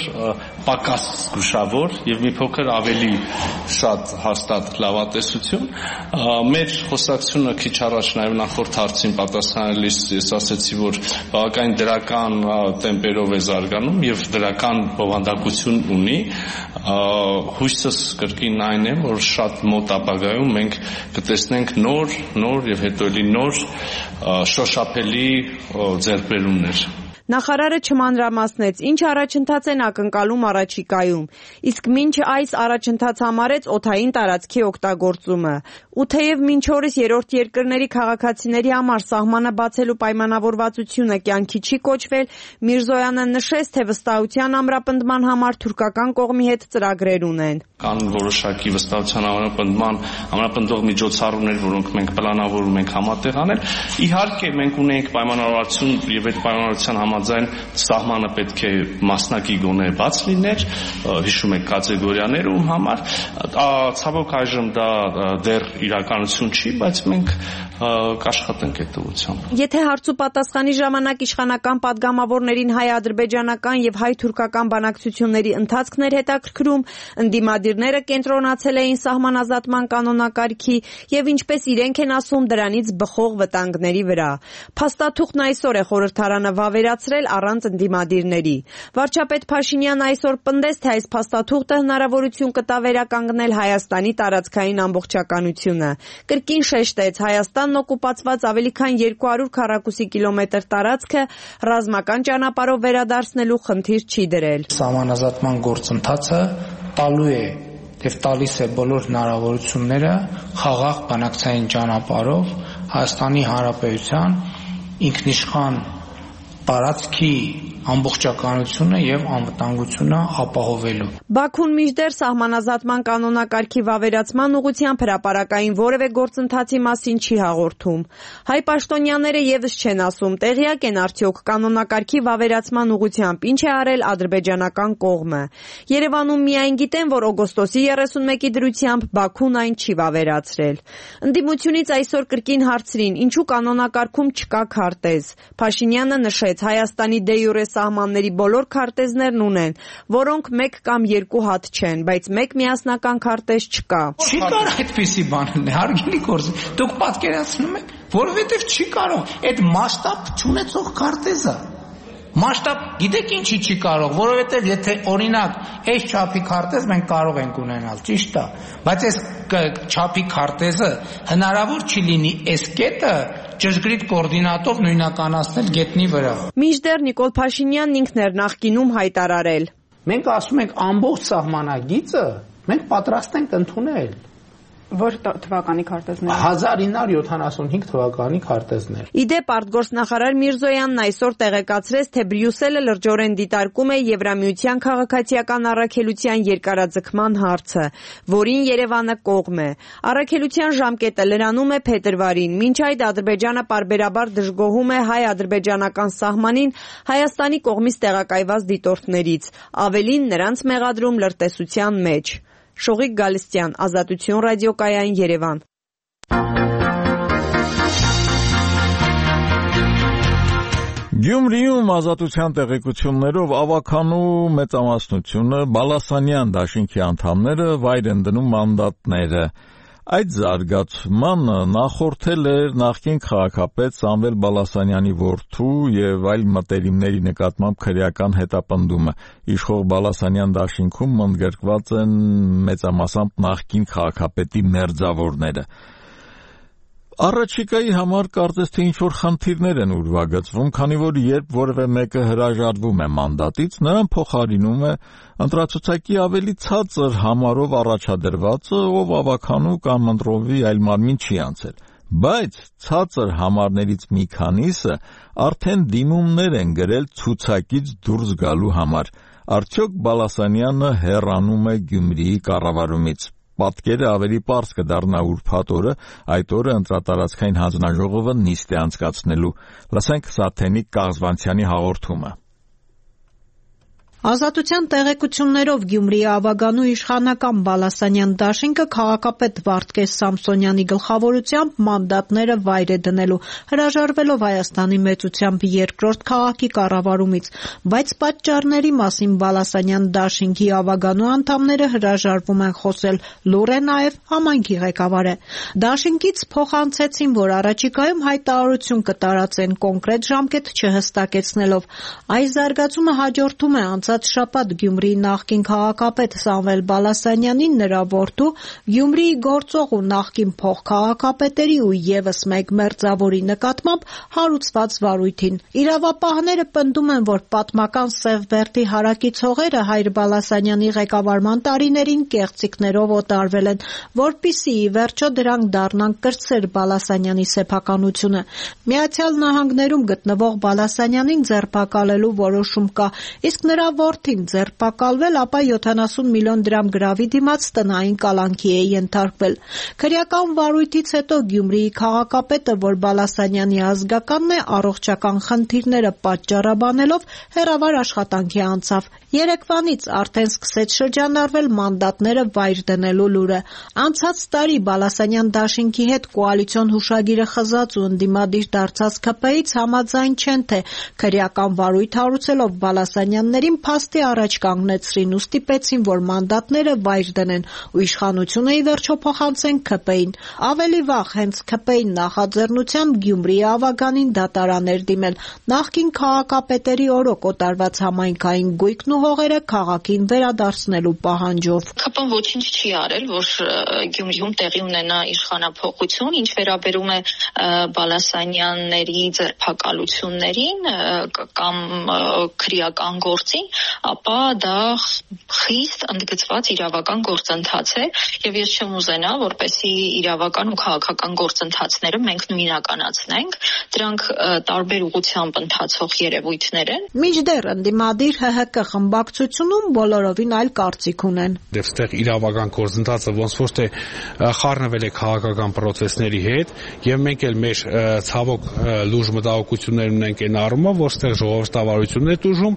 պակաս զգուշավոր եւ մի փոքր ավելի շատ հաստատ լավատեսություն։ Մեր խոսակցությունը քիչ առաջ նաեւ նախորդ հարցին պատասխանելիս ես ասացի, որ բավականին դրական տեմպերով է զարգանում եւ դրական բովանդակություն ունի, հույսս կրկին այն է, որ շատ մոտ ապագայում մենք կտեսնենք նոր, նոր եւ հետո էլի նոր շոշափելի ձեռքբերումներ։ Նախարարը չմանրամասնեց, ինչ առաջընթաց են ակնկալում առաջիկայում, իսկ մինչ այս առաջընթաց համարեց օդային տարածքի օգտագործումը։ Ու թեև մինչ օրս երրորդ երկրների քաղաքացիների համար սահմանը բացելու պայմանավորվածությունը կյանքի չի կոչվել, Միրզոյանը նշեց, թե վստահության ամրապնդման համար թուրքական կողմի հետ ծրագրեր ունեն։ Կան որոշակի վստահության ամրապնդման ամրապնդող միջոցառումներ, որոնք մենք պլանավորում ենք համատեղ անել։ Իհարկե մենք ունենք պայմանավորվածություն եւ այդ պայմանավորվածության համաձայն սահմանը պետք է մասնակի գոնե բաց լիներ, հիշում եք կատեգորիաներում համար, ցավոք այժմ դա դեռ իրականություն չի, բայց մենք կաշխատենք այդ ուղղությամբ։ Եթե հարց ու պատասխանի ժամանակ իշխանական падգամավորներին հայ-ադրբեջանական եւ հայ-թուրքական բանակցությունների ընթացքն էր հետաքրքրում, ընդդիմադիրները կենտրոնացել էին սահմանազատման կանոնակարգի եւ ինչպես իրենք են ասում դրանից բխող վտանգների վրա։ Փաստաթուղթն այսօր է խորհրդարանը վավերացրել առանց ընդդիմադիրների։ Վարչապետ Փաշինյանը այսօր պնդեց, թե այս փաստաթուղթը հնարավորություն կտա վերականգնել Հայաստանի տարածքային ամբողջականությունը։ Կրկին շեշտեց, Հայաստանն օկուպացված ավելի քան երկու հարյուր քառակուսի կիլոմետր տարածքը ռազմական ճանապարհով վերադարձնելու խնդիր չի դրել։ Սահմանազատման գործընթացը տալու է եւ տալիս է բոլոր հնարավորությունները խաղաղ բանակցային ճանապարհով Հայաստանի Հանրապետության ինքնիշխան տարածքի ամբողջականությունը եւ անվտանգությունը ապահովելու։ Բաքուն մինչդեռ սահմանազատման կանոնակարգի վավերացման ուղղությամբ հրապարակային որևէ գործընթացի մասին չի հաղորդում։ Հայ պաշտոնյաները եւս չեն ասում, տեղյակ են արդյոք կանոնակարգի վավերացման ուղղությամբ ինչ է արել ադրբեջանական կողմը։ Երևանում միայն գիտեն, որ օգոստոսի երեսունմեկի դրությամբ Բաքուն այն չի վավերացրել։ Ընդդիմությունից այսօր կրկին հարցրին, ինչու կանոնակարգում չկա քարտեզ։ Փաշինյանը նշեց, Հայաստանի դե յուրե սահմանների բոլոր քարտեզներն ունեն, որոնք մեկ կամ երկու հատ չեն, բայց մեկ միասնական քարտեզ չկա։ Չի կարող այդպիսի բան լինել, հարգելի գործ։ Դուք պատկերացնում եք, որովհետև չի կարող այդ մասշտաբ չունեցող քարտեզը։ Մասշտաբ գիտեք ինչի չի կարող, որովհետև եթե օրինակ այս չափի քարտեզ մենք կարող ենք ունենալ, ճիշտ է, բայց այս չափի քարտեզը հնարավոր չի լինի այս կետը ճշգրիտ կոորդինատով նույնականացնել գետնի վրա։ Մինչդեռ Նիկոլ Փաշինյանն ինքն էր նախկինում հայտարարել. Մենք ասում ենք ամբողջ սահմանագիծը մենք պատրաստ ենք ընդունել։ Որ թվականի քարտեզներ հազար ինը հարյուր յոթանասունհինգ թվականի քարտեզներ։ Իդեպ արտգործնախարար Միրզոյանն այսօր տեղեկացրեց, թե Բրյուսելը լրջորեն դիտարկում է Եվրամիության քաղաքացիական առաքելության երկարաձգման հարցը, որին Երևանը կողմ է։ Առաքելության ժամկետը լրանում է փետրվարին, մինչ այդ Ադրբեջանը պարբերաբար դժգոհում է հայ-ադրբեջանական սահմանին Հայաստանի կողմից տեղակայված դիտորդներից, ավելին նրանց մեղադրում լրտեսության մեջ։ Շողիկ Գալստյան, Ազատություն ռադիոկայան, Երևան։ Գյումրիում Ազատության տեղեկություններով ավականու մեծամասնությունը Բալասանյան դաշինքի անդամները վայր են դնում մանդատները։ Այդ զարգացմանը նախորդել էր նախկին քաղաքապետ Սամվել Բալասանյանի որդու եւ այլ մտերիմների նկատմամբ քրեական հետապնդումը։ Իշխող Բալասանյան դաշինքում ընդգրկված են մեծամասամբ նախկին քաղաքապետի մերձավորները։ Առաջիկայի համար կարծես թե ինչ-որ խնդիրներ են ուրվագծվում, քանի որ երբ որևէ մեկը հրաժարվում է մանդատից, նրան փոխարինում է ընտրացուցակի ավելի ցածր համարով առաջադրվածը, ով ավականու կամ ընտրովի այլ մարմին չի անցել։ Բայց ցածր համարներից մի քանիսը արդեն դիմումներ են գրել ցուցակից դուրս գալու համար։ Արդյոք Բալասանյանը հեռանում է Գյումրիի կառավարումից։ Պատկերը ավելի պարզ կդառնա ուրբաթ օրը, այդ օրը ընտրատարածքային հանձնաժողովը նիստ է անցկացնելու։ Լսենք Սաթենիկ Կաղզվանցյանի հաղորդումը։ Ազատության տեղեկություններով Գյումրիի ավագանու իշխանական Բալասանյան դաշինքը քաղաքապետ Վարդգես Սամսոնյանի գլխավորությամբ մանդատները վայր է դնելու, հրաժարվելով Հայաստանի մեծությամբ երկրորդ քաղաքի կառավարումից, բայց պատճառների մասին Բալասանյան դաշինքի ավագանու անդամները հրաժարվում են խոսել, լուր է նաև համայնքի ղեկավարը։ Դաշինքից փոխանցեցին, որ առաջիկայում հայտարարություն կտարածեն կոնկրետ ժամկետ չհստակեցնելով։ Այս զարգացումը հաջորդում է անցած շաբաթ Գյումրիի նախկին քաղաքապետ Սամվել Բալասանյանին նրա որդու, Գյումրիի գործող ու նախկին փոխքաղաքապետերի ու ևս մեկ մերձավորի նկատմամբ հարուցված վարույթին։ Իրավապահները պնդում են, որ պատմական Սևբերդի հարակից հողերը Հայր Բալասանյանի ղեկավարման տարիներին կեղծիքներով օտարվել են, որպիսի ի վերջո դրանք դառնան կրտսեր Բալասանյանի սեփականությունը։ Միացյալ Նահանգներում գտնվող Բալասանյանին ձերբակալելու որոշում կա, իսկ նրա որդին ձերբակալվել, ապա յոթանասուն միլիոն դրամ գրավի դիմաց տնային կալանքի է ենթարկվել։ Քրեական վարույթից հետո Գյումրիի քաղաքապետը, որ Բալասանյանի ազգականն է, առողջական խնդիրները պատճառաբանելով հեռավար աշխատանքի անցավ։ Երեկվանից արդեն սկսեց շրջանառվել մանդատները վայր դնելու լուրը։ Անցած տարի Բալասանյան դաշինքի հետ կոալիցիոն հուշագիրը խզած ու ընդդիմադիր դարձած ՔՊ-ից համաձայն չեն, թե քրեական վարույթ հարուցելով Բալասանյաններին փաստի առաջ կանգնեցրին ու ստիպեցին, որ մանդատները վայր դնեն ու իշխանությունը ի վերջո փոխանցեն ՔՊ-ին։ Ավելի վաղ հենց ՔՊ-ի նախաձեռնությամբ Գյումրիի ավագանին դատարաներ դիմել նախկին քաղաքապետերի օրոք օտարված համայնքային գույքն ու հողերը քաղաքին վերադարձնելու պահանջով։ ՔՊ-ն ոչինչ չի արել, որ Գյումրիում տեղի ունենա իշխանափոխություն, ինչ վերաբերում է Բալասանյանների ձերբակալություններին կամ քրեական գործին, ապա դա խիստ ընդգծված իրավական գործընթաց է եւ ես չեմ ուզենա, որպեսզի իրավական ու քաղաքական գործընթացները մենք նույնականացնենք, դրանք տարբեր ուղղությամբ ընթացող երևույթներ են։ Մինչդեռ ընդդիմադիր ՀՀԿ խմբակցությունում բոլորովին այլ կարծիք ունեն։ Դե այստեղ իրավական գործընթացը ոնց որ թե խառնվել է քաղաքական process-ների հետ եւ մենք էլ մեր ցավոք լուրջ մտահոգություններ ունենք այն առումով, որ այստեղ ժողովրդավարությունն է տուժում,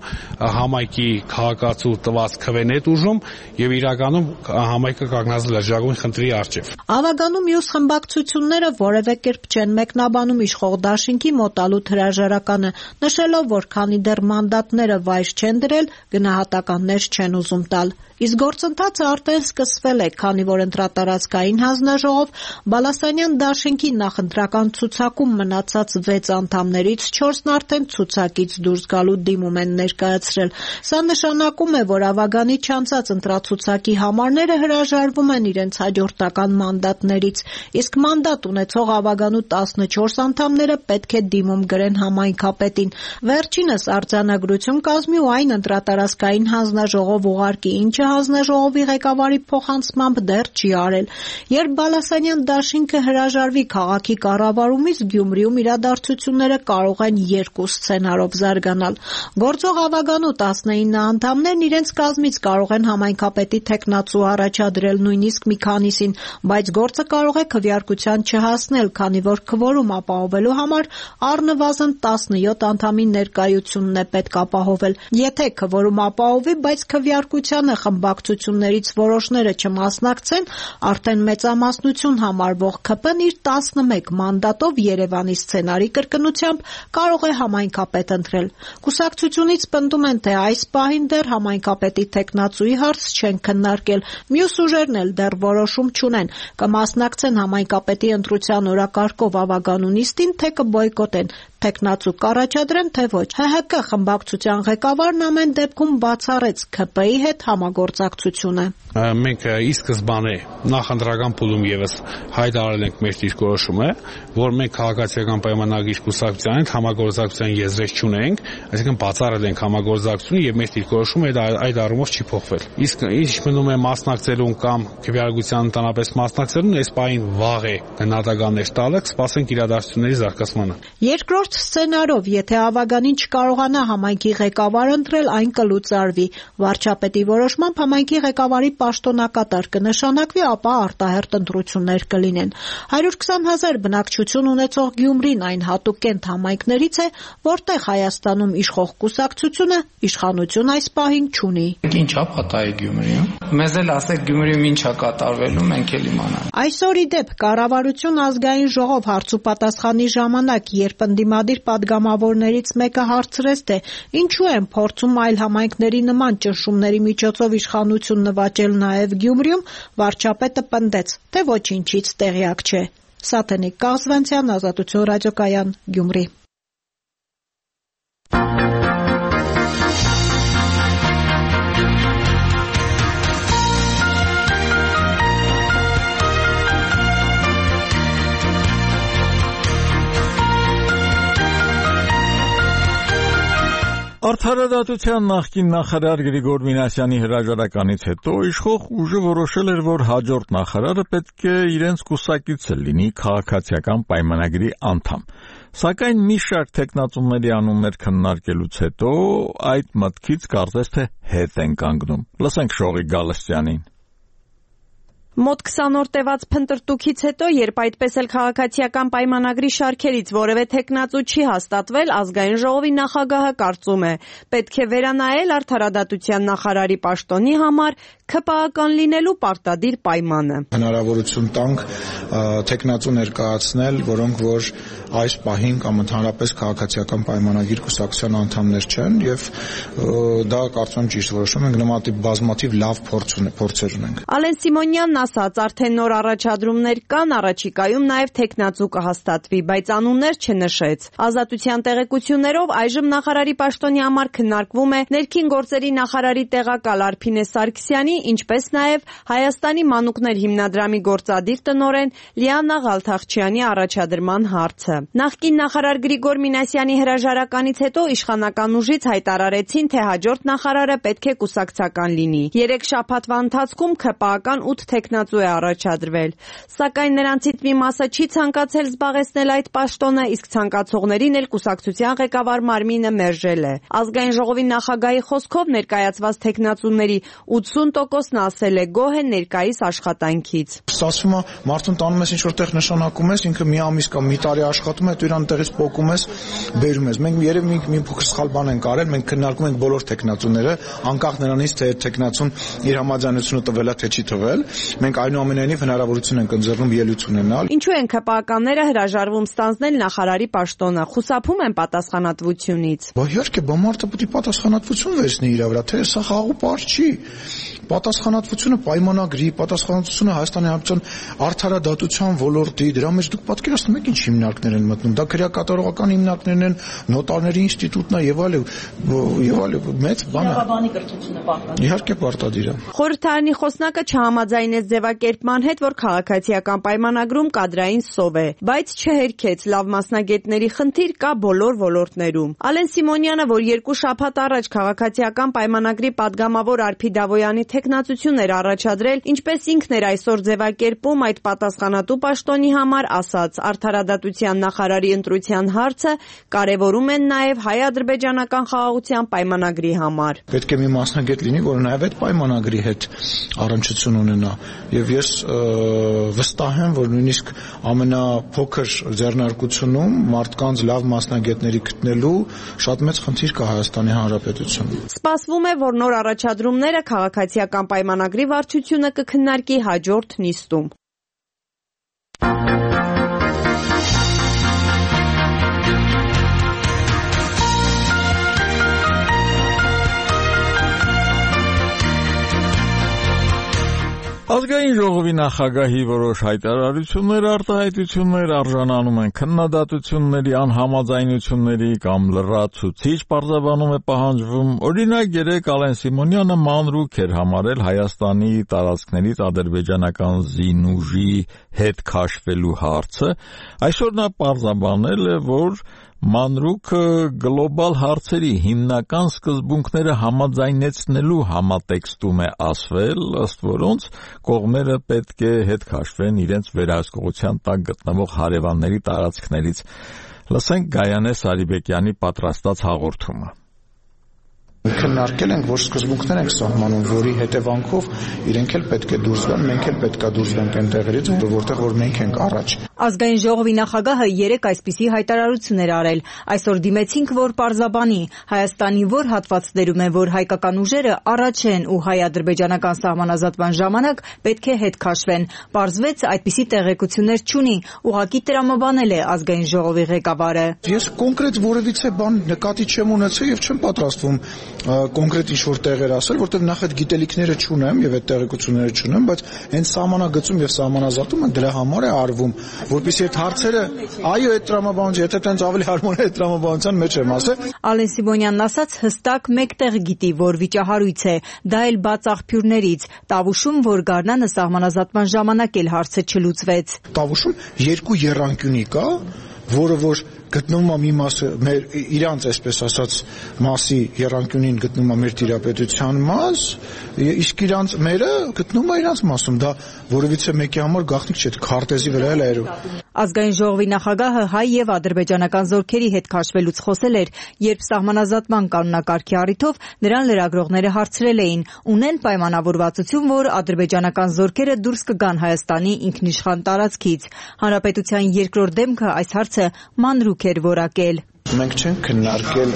համայնքի քաղաքացու տված քվեն է տուժում եւ իրականում համայնքը կանգնած լրջագույն խնդրի առջեւ։ Ավագանում մյուս խմբակցությունները որևէ կերպ չեն մեկնաբանում իշխող դաշինքի մոտալուտ հրաժարականը, նշելով, որ քանի դեռ մանդատները վայր չեն դրել, գնահատականներ չեն ուզում տալ։ Իսկ գործընթացը արդեն սկսվել է, քանի որ ընտրատարածքային հանձնաժողով Բալասանյան դաշինքի նախընտրական ցուցակում մնացած վեց անդամներից չորսն արդեն ցուցակից դուրս գալու դիմում են ներկայացրել։ Սա նշանակում է, որ ավագանի չանցած ընտրացուցակի համարները հրաժարվում են իրենց հաջորդական մանդատներից, իսկ մանդատ ունեցող ավագանու տասնչորս անդամները պետք է դիմում գրեն համայնքապետին։ Վերջինս արձանագրություն կազմի ու այն ընտրատարածքային հանձնաժողով ուղարկի, ինչը հանձնաժողովի ղեկավարի փոխանցմամբ դեռ չի արել։ Երբ Բալասանյան դաշինքը հրաժարվի քաղաքի կառավարումից, Գյումրիում իրադարձությունները կարող են երկու սցենարով զարգանալ։ Գործող ավագանու տասնինը անդամներն իրենց կազմից կարող են համայնքապետի թեկնածու առաջադրել, նույնիսկ մի քանիսին, բայց գործը կարող է քվեարկության չհասնել, քանի որ քվորում ապահովելու համար առնվազն տասնյոթ անդամի ներկայությունն է պետք ապահովել։ Եթե քվորում ապահովի, բայց քվեարկությանը խմբակցություններից որոշները չմասնակցեն, արդեն մեծամասնություն համարվող ՔՊ-ն իր տասնմեկ մանդատով Երևանի սցենարի կրկնությամբ կարող է համայնքապետ ընտրել։ Կուսակցությունից պնդում են, թե այս պահին դեռ համայնքապետի թեկնածուի հարց չեն քննարկել, մյուս ուժերն էլ դեռ որոշում չունեն, կմասնակցեն համայնքապետի ընտրության օրակարգով ավագանու նիստին, թե կբոյկոտեն, թեկնածու կառաջադրեն, թե ոչ։ ՀՀԿ խմբակցության ղեկավարն ամեն դեպքում բացառեց ՔՊ-ի հետ համագործակցությունը։ Մենք ի սկզբանե նախընտրական փուլում եւս հայտարարել ենք մեր դիրքորոշումը, որ մենք քաղաքացիական պայմանագրի կուսակցության հետ համագործակցության եզրեր չունենք, այսինքն բացառել ենք համագործակցությունը եւ մեր դիրքորոշումը այդ առումով չի փոխվել։ Իսկ ինչ մնում է մասնակցելուն կամ քվեարկության ընդանրապես մասնակցելուն, այս պահին վաղ է գնահատականներ տալը, կսպասենք իրադարձությունների զարգացմանը։ Երկրորդ սցենարով, եթե ավագանին չկարողանա համայնքի ղեկավար ընտրել, այն կլուծարվի։ Վարչապետի որոշմամբ համայնքի ղեկավարի պաշտոնակատար կնշանակվի, ապա արտահերթ ընտրություններ կլինեն։ հարյուր քսան հազար բնակչություն ունեցող Գյումրին այն հատուկ կենտ համայնքներից է, որտեղ Հայաստանում իշխող կուսակցությունը իշխանություն այս պահին չունի։ Ինչա՞ պատահ է Գյումրիում։ Մեզ էլ ասեք Գյումրիում ինչա կատարվելու, մենք էլ իմանանք։ Այսօր ի դեպ կառավարություն ազգային ժողով հարցուպատասխանի ժամանակ, երբ ընդդիմադիր падգամավորներից մեկը հարցրեց, թե ինչու են փորձում այլ համայնքների նման ճնշումների միջոցով իշխանություն նվաճել նաև Գյումրիում, վարչապետը պնդեց, թե ոչինչից տեղյակ չէ։ Սաթենիկ Կազվանցյան, Ազատություն ռադիոկայան, Գյումրի։ Արդարադատության նախկին նախարար Գրիգոր Մինասյանի հրաժարականից հետո իշխող ուժը որոշել էր, որ հաջորդ նախարարը պետք է իրենց կուսակիցը լինի քաղաքացիական պայմանագրի անդամ։ Սակայն մի շարք թեկնածուների անուններ քննարկելուց հետո այդ մտքից կարծես թե հետ են կանգնում։ Լսենք Շողիկ Գալստյանին։ Մոտ քսան օր տևած փնտրտուքից հետո, երբ այդպես էլ քաղաքացիական պայմանագրի շարքերից որևէ թեկնածու չի հաստատվել, ազգային ժողովի նախագահը կարծում է, պետք է վերանայել արդարադատության նախարարի պաշտոնի համար ՔՊԱ-ական լինելու պարտադիր պայմանը։ Հնարավորություն տանք թեկնածու ներկայացնել, որոնք որ այս պահին կամ ընդհանրապես քաղաքացիական պայմանագիր կուսակցության անդամներ չեն, եւ դա կարծում եմ ճիշտ որոշում ենք, նմանատիպ բազմաթիվ լավ փորձեր ունենք։ Ալեն Սիմոնյանն ասաց, արդեն նոր առաջադրումներ կան, առաջիկայում նաև թեկնածու կհաստատվի, բայց անուններ չնշեց։ Ազատության տեղեկություններով այժմ նախարարի պաշտոնի համար քննարկվում է ներքին գործերի նախարարի տեղակալ Արփինե Սարգսյանի, ինչպես նաև Հայաստանի մանուկներ հիմնադրամի գործադիր տնօրեն Լիանա Ղալթախչյանի առաջադրման հարցը։ Նախկին նախարար Գրիգոր Մինասյանի հրաժարականից հետո իշխանական ուժից հայտարարեցին, թե հաջորդ նախարարը պետք է կուսակցական լինի։ Երեք շաբաթվա ընթացքում ՔՊԱ-ական ութ թեկնածու է առաջադրվել, սակայն նրանցից մի մասը չի ցանկացել զբաղեցնել այդ պաշտոնը, իսկ ցանկացողներին էլ կուսակցության ղեկավար Մարմինը մերժել է։ Ազգային ժողովի նախագահի խոսքով ներկայացված թեկնածուների ութսուն տոկոսն ասել է գոհ է ներկայիս աշխատանքից։ Ստացվում է մարդուն տանում ես ինչ-որ տեղ նշանակում ես, ինքը մի ամիս կամ մի տարի աշխատում է, դու իրան տեղից փոկում ես, բերում ես։ Մենք երևի մի փոքր սխալ բան ենք արել, մենք քննարկում ենք բոլոր թեկնածուները, անկախ նրանից, թե թեկնածուն իր համաձայնությունը տվել է, թե չի տվել։ մենք այնուամենայնիվ հնարավորություն ենք ընձեռնում ելույթ ունենալ։ Ինչու են ՔՊԱ-ականները հրաժարվում ստանձնել նախարարի պաշտոնը, խուսափում են պատասխանատվությունից։ Բա իհարկե, բա մարդը պետք է պատասխանատվություն վերցնի իր վրա, թե սա խաղաղ պարզ չի։ Պատասխանատվությունը պայմանագրի, պատասխանատվությունը Հայաստանի Հանրապետության արդարադատության ոլորտի, դրա մեջ դուք պատկերացնում եք ինչ հիմնարկներ են մտնում։ Դա քրեակատարողական հիմնարկներն են, նոտարների ինստիտուտն է եւ այլ եւ այլ մեծ բան է։ Իրավաբանի կրթությունը պարտադիր։ Իհարկե պարտադիր է։ Խորհրդարանի խոսնակը չհամաձայնեց ձևակերպման հետ, որ քաղաքացիական պայմանագրում կադրային սով է, բայց չհերքեց լավ մասնագետների խնդիր կա բոլոր ոլորտներում։ Ալեն Սիմոնյանը, որ երկու շաբաթ առաջ քաղաքացիական պայմանագրի падգամավոր Արփի Դավոյանի թեկնածություն էր առաջադրել, ինչպես ինքն էր այսօր ձևակերպում այդ պատասխանատու պաշտոնի համար, ասաց, արդարադատության նախարարի ընտրության հարցը կարևորում են նաև հայ-ադրբեջանական խաղաղության պայմանագրի համար։ Պետք է մի մասնագետ լինի, որը նաև այդ պայմանագրի հետ առնչություն ունենա, եւ ես վստահ եմ, որ նույնիսկ ամենափոքր ձեռնարկությունում մարդկանց լավ մասնագետների գտնելու շատ մեծ խնդիր կա Հայաստանի Հանրապետությունում։ Սպասվում է, որ նոր առաջադրումները քաղաքացիական պայմանագրի վարչությունը կքննարկի հաջորդ նիստում։ Ազգային ժողովի նախագահի որոշ հայտարարություններ, արտահայտություններ արժանանում են քննադատությունների, անհամաձայնությունների կամ լրացուցիչ պարզաբանում է պահանջվում։ Օրինակ, երեկ Ալեն Սիմոնյանը մանրուք էր համարել Հայաստանի տարածքներից ադրբեջանական զինուժի հետ քաշվելու հարցը։ Այսօր նա պարզաբանել է, որ մանրուքը գլոբալ հարցերի հիմնական սկզբունքները համաձայնեցնելու համատեքստում է ասվել, ըստ որոնց կողմերը պետք է հետ քաշվեն իրենց վերահսկողության տակ գտնվող հարևանների տարածքներից։ Լսենք Գայանե Սարիբեկյանի պատրաստած հաղորդումը։ Քննարկել ենք, որ սկզբունքներ ենք սահմանում, որի հետևանքով իրենք էլ պետք է դուրս գան, մենք էլ պետք է դուրս գանք այն տեղերից, որտեղ որ մենք ենք առաջ։ Ազգային ժողովի նախագահը երեկ այսպիսի հայտարարություն էր արել. Այսօր դիմեցինք, որ պարզաբանի Հայաստանի որ հատվածներում է, որ հայկական ուժերը առաջ են ու հայ-ադրբեջանական սահմանազատման ժամանակ պետք է հետ քաշվեն։ Պարզվեց այդպիսի տեղեկություններ չունի, ուղղակի տրամաբանել է ազգային ժողովի ղեկավարը։ Ես կոնկրետ որևիցե բան նկատի չեմ ունեցել եւ չեմ պատրաստվում կոնկրետ ինչ-որ տեղեր ասել, որտեղ նախ այդ գիտելիքները չունեմ եւ այդ տեղեկությունները չունեմ, բայց հենց սահմանագծում եւ սահմանազատումը դրա համար է արվում, որպեսզի այդ հարցերը, այո, այդ տրամաբանություն, եթե տենց ավելի հարմար է այդ տրամաբանության մեջ եմ ասել։ Ալեն Սիմոնյանն ասաց հստակ մեկտեղ գիտի, որ վիճահարույց է, դա էլ բաց աղբյուրներից, Տավուշում, որ Գառնանը սահմանազատման ժամանակ էլ հարցը չլուծվեց։ Տավուշում երկու եռանկյունի կա, որը որ գտնվում է մի մասը մեր իրանց այսպես ասած մասի եռանկյունին գտնվում է մեր տիրապետության մաս, իսկ իրանց մերը գտնվում է իրանց մասում, դա որևիցե մեկի համար գաղտնիք չէ, քարտեզի վրա էլ այրու։ Ազգային ժողովի նախագահը հայ եւ ադրբեջանական զորքերի հետ քաշվելուց խոսել էր, երբ սահմանազատման կանոնակարգի առիթով նրան լրագրողները հարցրել էին, ունեն պայմանավորվածություն, որ ադրբեջանական զորքերը դուրս կգան Հայաստանի ինքնիշխան տարածքից։ Հանրապետության երկրորդ դեմքը այս հարցը մանրուք էր որակել։ Մենք չենք քննարկել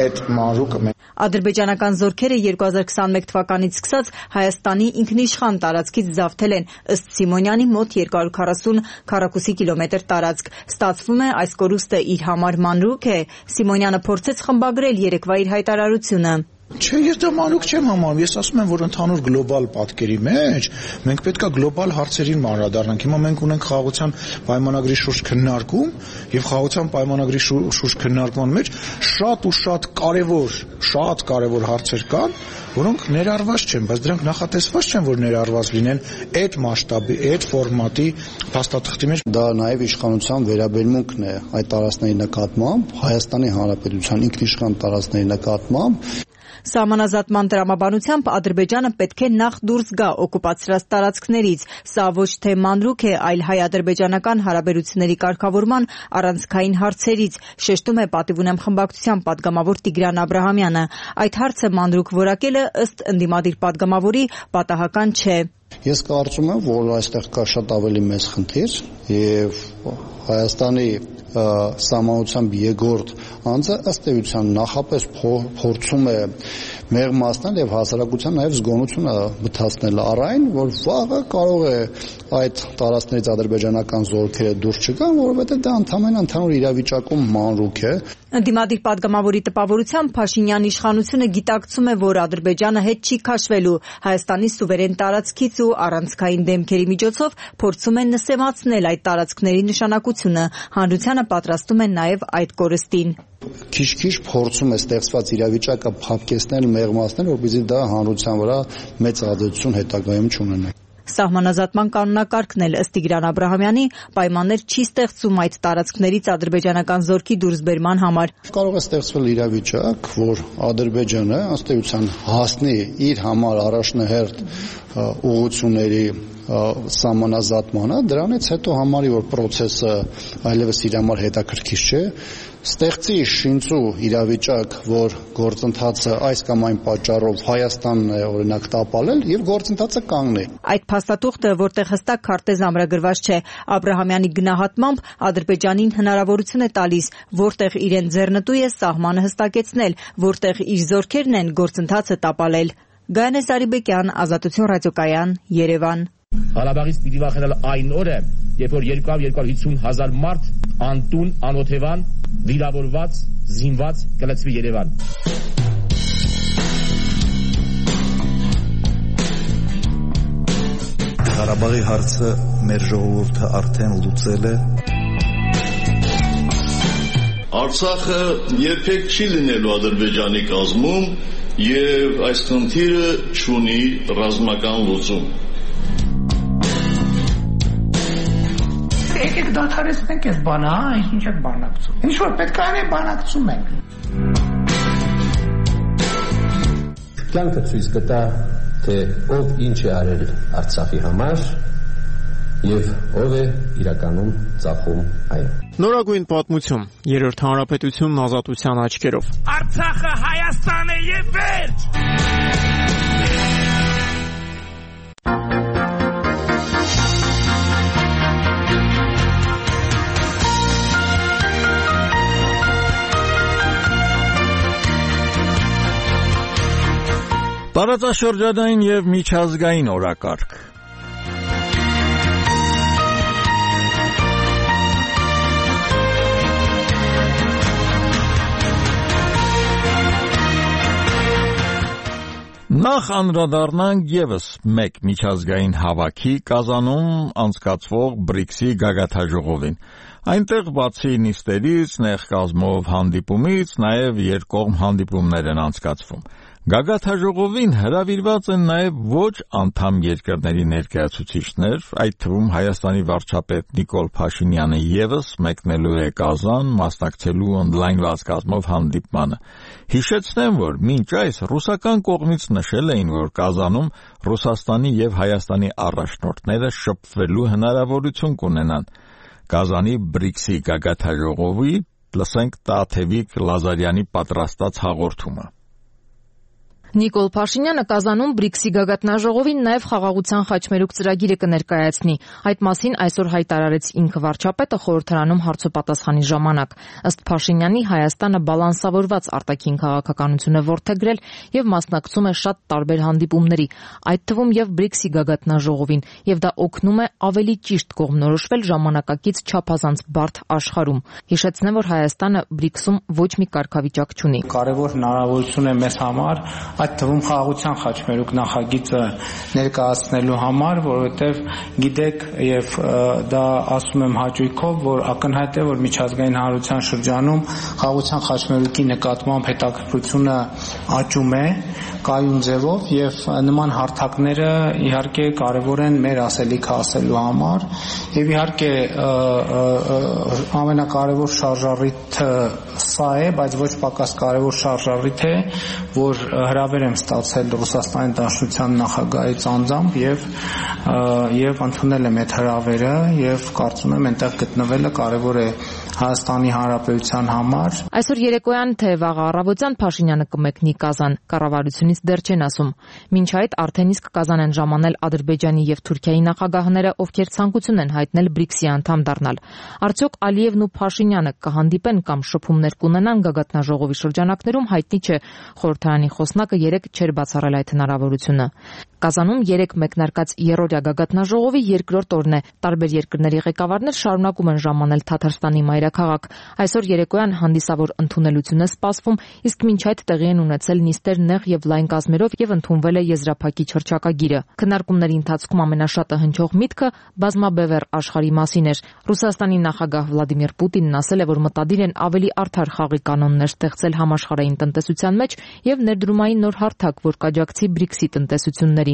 այդ մանրուկը։ Ադրբեջանական զորքերը երկու հազար քսաներկու թվականից սկսած Հայաստանի ինքնիշխան տարածքից զավթել են ըստ Սիմոնյանի մոտ երկու հարյուր քառասուն քառակուսի կիլոմետր տարածք։ Ստացվում է այս կորուստը իր համար մանրուք է։ Սիմոնյանը փորձեց խմբագրել երեկվա իր հայտարարությունը։ Չէ, ես դա մանրուք չեմ համարում, ես ասում եմ, որ ընդհանուր գլոբալ պատկերի մեջ մենք պետք է գլոբալ հարցերին անդրադառնանք։ Հիմա մենք ունենք խաղաղության պայմանագրի շուրջ քննարկում եւ խաղաղության պայմանագրի շուրջ քննարկման մեջ շատ ու շատ կարեւոր, շատ կարեւոր հարցեր կան, որոնք ներառված չեն, բայց դրանք նախատեսված չեն, որ ներառված լինեն այդ մասշտաբի, այդ ֆորմատի փաստաթղթի մեջ։ Դա նաեւ իշխանության վերաբերմունքն է այդ տարածքների նկատմամբ, Հայաստանի Հանրապետության ինքնիշխան տարածքների նկատմամբ։ Սահմանազատման տրամաբանությամբ Ադրբեջանը պետք է նախ դուրս գա օկուպացրած տարածքներից։ Սա ոչ թե մանրուք է, այլ հայ-ադրբեջանական հարաբերությունների կարգավորման առանցքային հարցերից, շեշտում է Պատիվ ունեմ խմբակցության պատգամավոր Տիգրան Աբրահամյանը։ Այդ հարցը մանրուք որակելը ըստ ընդդիմադիր պատգամավորի պատահական չէ։ Ես կարծում եմ, որ այստեղ կա շատ ավելի մեծ խնդիր եւ Հայաստանի սահմանությամբ երկրորդ անձը ըստ էության նախապես փորձում է մեղմացնել եւ հասարակության նաեւ զգոնությունը մտածնել առայն, որ վաղը կարող է այդ տարածքներից ադրբեջանական զորքերը դուրս չգան, որովհետեւ դա ընդհանրապես ընդհանուր իրավիճակում մանրուք է։ Ընդդիմադիր պատգամավորի տպավորությամբ Փաշինյան իշխանությունը գիտակցում է, որ Ադրբեջանը հետ չի քաշվելու Հայաստանի սուվերեն տարածքից ու առանցքային դեմքերի միջոցով փորձում են նսեմացնել այդ տարածքների նշանակությունը։ Հանրությանը պատրաստում են նաև այդ կորստին։ Քիչ-քիչ փորձում է ստեղծված իրավիճակը փափկեցնել, մեղմացնել, որպեսզի դա հանրության վրա մեծ ազդեցություն հետագայում չունենա։ Սահմանազատման կանոնակարգն էլ ըստ Տիգրան Աբրահամյանի պայմաններ չի ստեղծում այդ տարածքներից ադրբեջանական զորքի դուրսբերման համար։ Կարող է ստեղծվել իրավիճակ, որ Ադրբեջանը ըստ էության հասնի իր համար առաջնահերթ ուղղությունների սահմանազատմանը, դրանից հետո համարի, որ process-ը այլևս իր համար հետաքրքիր չէ, ստեղծի շինծու իրավիճակ, որ գործընթացը այս կամ այն պատճառով Հայաստանն է օրինակ տապալել եւ գործընթացը կանգնի։ Այդ փաստաթուղթը, որտեղ հստակ քարտեզ ամրագրված չէ, Աբրահամյանի գնահատմամբ Ադրբեջանին հնարավորություն է տալիս, որտեղ իրեն ձեռնտու է սահմանը հստակեցնել, որտեղ իր զորքերն են գործընթացը տապալել։ Գայանե Սարիբեկյան, Ազատություն ռադիոկայան, Երևան։ Ղարաբաղից պիտի վախենալ այն օրը, երբ որ երկու հարյուր հիսուն հազար մարդ անտուն, անօթևան, վիրավորված, զինված կլցվի Երևան։ Ղարաբաղի հարցը մեր ժողովուրդը արդեն լուծել է։ Արցախը երբեք չի լինելու Ադրբեջանի կազմում եւ այս խնդիրը չունի ռազմական լուծում։ Եկեք դադարեցնենք այս բանը, հա, ինչ եք բանակցում։ Ինչ որ պետք է անենք, բանակցում ենք։ Կյանքը ցույց կտա, թե ով ինչ է արել Արցախի համար եւ ով է իրականում ծախում այն։ Նորագույն պատմություն, երրորդ հանրապետությունն ազատության աչքերով։ Արցախը Հայաստան է եւ վերջ։ Տարածաշրջանային եւ միջազգային օրակարգ։ Նախ անդրադառնանք եւս մեկ միջազգային հավաքի Կազանում անցկացվող բրիքսի գագաթաժողովին։ Այնտեղ բացի նիստերից, նեղ կազմով հանդիպումից, նաև երկկողմ հանդիպումներ են անցկացվում։ Գագաթաժողովին հրավիրված են նաև ոչ անդամ երկրների ներկայացուցիչներ, այդ թվում Հայաստանի վարչապետ Նիկոլ Փաշինյանը եւս մեկնելու է Կազան, մասնակցելու օնլայնված կազմով հանդիպմանը։ Հիշեցնեմ, որ մինչ այս ռուսական կողմից նշել էին, որ Կազանում Ռուսաստանի եւ Հայաստանի առաջնորդները շփվելու հնարավորություն կունենան։ Կազանի բրիքսի գագաթաժողովի լսենք Տաթևիկ Լազարյանի պատրաստած հաղորդումը։ Նիկոլ Փաշինյանը Կազանում բրիքսի գագաթնաժողովին նաև խաղաղության խաչմերուկ ծրագիրը կներկայացնի։ Այդ մասին այսօր հայտարարեց ինքը վարչապետը խորհրդարանում հարցոպատասխանի ժամանակ։ Ըստ Փաշինյանի Հայաստանը բալանսավորված արտաքին քաղաքականություն է որդեգրել եւ մասնակցում է շատ տարբեր հանդիպումների, այդ թվում եւ բրիքսի գագաթնաժողովին, եւ դա օգնում է ավելի ճիշտ կողմնորոշվել ժամանակակից չափազանց բարդ աշխարհում։ Հիշեցնեմ, որ Հայաստանը բրիքսում ոչ մի կարգավիճակ չունի։ Կարևոր հնարավորություն է մեզ համար այդ թվում խաղաղության խաչմերուկ նախագիծը ներկայացնելու համար, որովհետև գիտեք եւ դա ասում եմ հաճույքով, որ ակնհայտ է, որ միջազգային հանրության շրջանում խաղաղության խաչմերուկի նկատմամբ հետաքրքրությունը աճում է կայուն ձևով եւ նման հարթակները իհարկե կարեւոր են մեր ասելիքը ասելու համար եւ իհարկե ամենակարևոր շարժառիթը սա է, բայց ոչ պակաս կարևոր շարժառիթ է, որ հրավեր եմ ստացել Ռուսաստանի Դաշնության նախագահից անձամբ եւ եւ ընդունել եմ այդ հրավերը եւ կարծում եմ այնտեղ գտնվելը կարեւոր է Հայաստանի Հանրապետության համար։ Այսօր երեկոյան թե վաղ առավոտյան Փաշինյանը կմեկնի Կազան, կառավարությունից դեռ չեն ասում։ Մինչ այդ արդեն իսկ Կազան են ժամանել Ադրբեջանի եւ Թուրքիայի նախագահները, ովքեր ցանկություն են հայտնել բրիքսի անդամ դառնալ։ Արդյոք Ալիևն ու Փաշինյանը կհանդիպեն կամ շփումներ կունենան գագաթնաժողովի շրջանակներում, հայտնի չէ։ Խորհրդարանի խոսնակը երեկ չէր բացառել այդ հնարավորությունը։ Կազանում երեք մեկնարկած երրորդյա գագաթնաժողովի երկրորդ օրն է։ Տարբեր երկրների ղեկավարներ շարունակում են ժամանել Թաթարստանի մայրաքաղաք։ Այսօր երեկոյան հանդիսավոր ընդունելություն է սպասվում, իսկ մինչ այդ տեղի են ունեցել նիստեր նեղ եւ լայն կազմերով եւ ընդունվել է եզրափակիչ հռչակագիրը։ Քննարկումների ընթացքում ամենաշատը հնչող միտքը բազմաբևեռ աշխարհի մասին էր։ Ռուսաստանի նախագահ Վլադիմիր Պուտինն ասել է, որ մտադիր են ավելի արդար խաղի կանոններ ստեղծել համաշխարհային տնտեսության մեջ եւ ներդրումային նոր հարթակ, որ կաջակցի բրիքսի տնտեսություններին։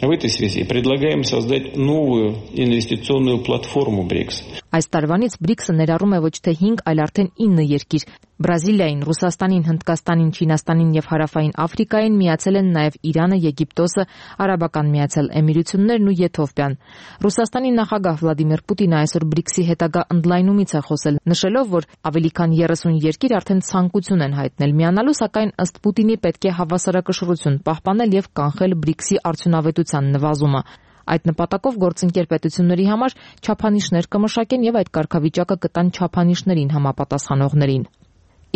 В этой связи предлагаем создать новую инвестиционную платформу БРИКС. Այս տարվանից բրիքսը ներառում է ոչ թե հինգ, այլ արդեն ինը երկիր։ Բրազիլիային, Ռուսաստանին, Հնդկաստանին, Չինաստանին եւ Հարավային Աֆրիկային միացել են նաեւ Իրանը, Եգիպտոսը, Արաբական Միացյալ Էմիրություններն ու Եթովպիան։ Ռուսաստանի նախագահ Վլադիմիր Պուտինը այսօր բրիքսի հետագա ընդլայնումից է խոսել, նշելով, որ ավելի քան երեսուն երկիր արդեն ցանկություն են հայտնել միանալու, սակայն ըստ Պուտինի պետք է հավասարակշռություն պահպանել եւ կանխել բրիքսի արդյունավետության նվազումը։ Այդ նպատակով գործընկեր պետությունների համար չափանիշներ կմշակեն եւ այդ կարգավիճակը կտան չափանիշներին համապատասխանողներին։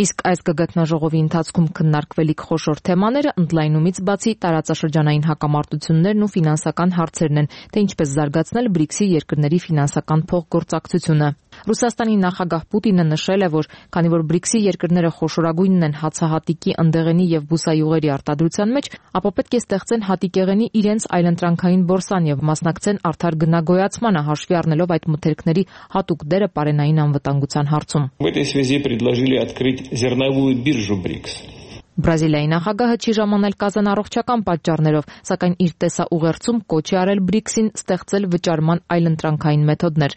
Իսկ այս գագաթնաժողովի ընթացքում քննարկվելիք խոշոր թեմաները ընդլայնումից բացի տարածաշրջանային հակամարտություններն ու ֆինանսական հարցերն են, թե ինչպես զարգացնել բրիքսի երկրների ֆինանսական փոխգործակցությունը։ Ռուսաստանի նախագահ Պուտինը նշել է, որ քանի որ բրիքսի երկրները խոշորագույնն են հացահատիկի, ընդեղենի եւ բուսայուղերի արտադրության մեջ, ապա պետք է ստեղծեն հատիկեղենի իրենց այլընտրանքային բորսան եւ մասնակցեն արդար գնագոյացմանը, հաշվի առնելով այդ մթերքների հատուկ դերը պարենային անվտանգության հարցում։ В этой связи предложили открыть зерновую биржу БРИКС. Բրազիլիայի նախագահը չի ժամանել Կազան առողջական պատճառներով, սակայն իր տեսաուղերձում կոչ է արել բրիքսին ստեղծել վճարման այլընտրանքային մեթոդներ։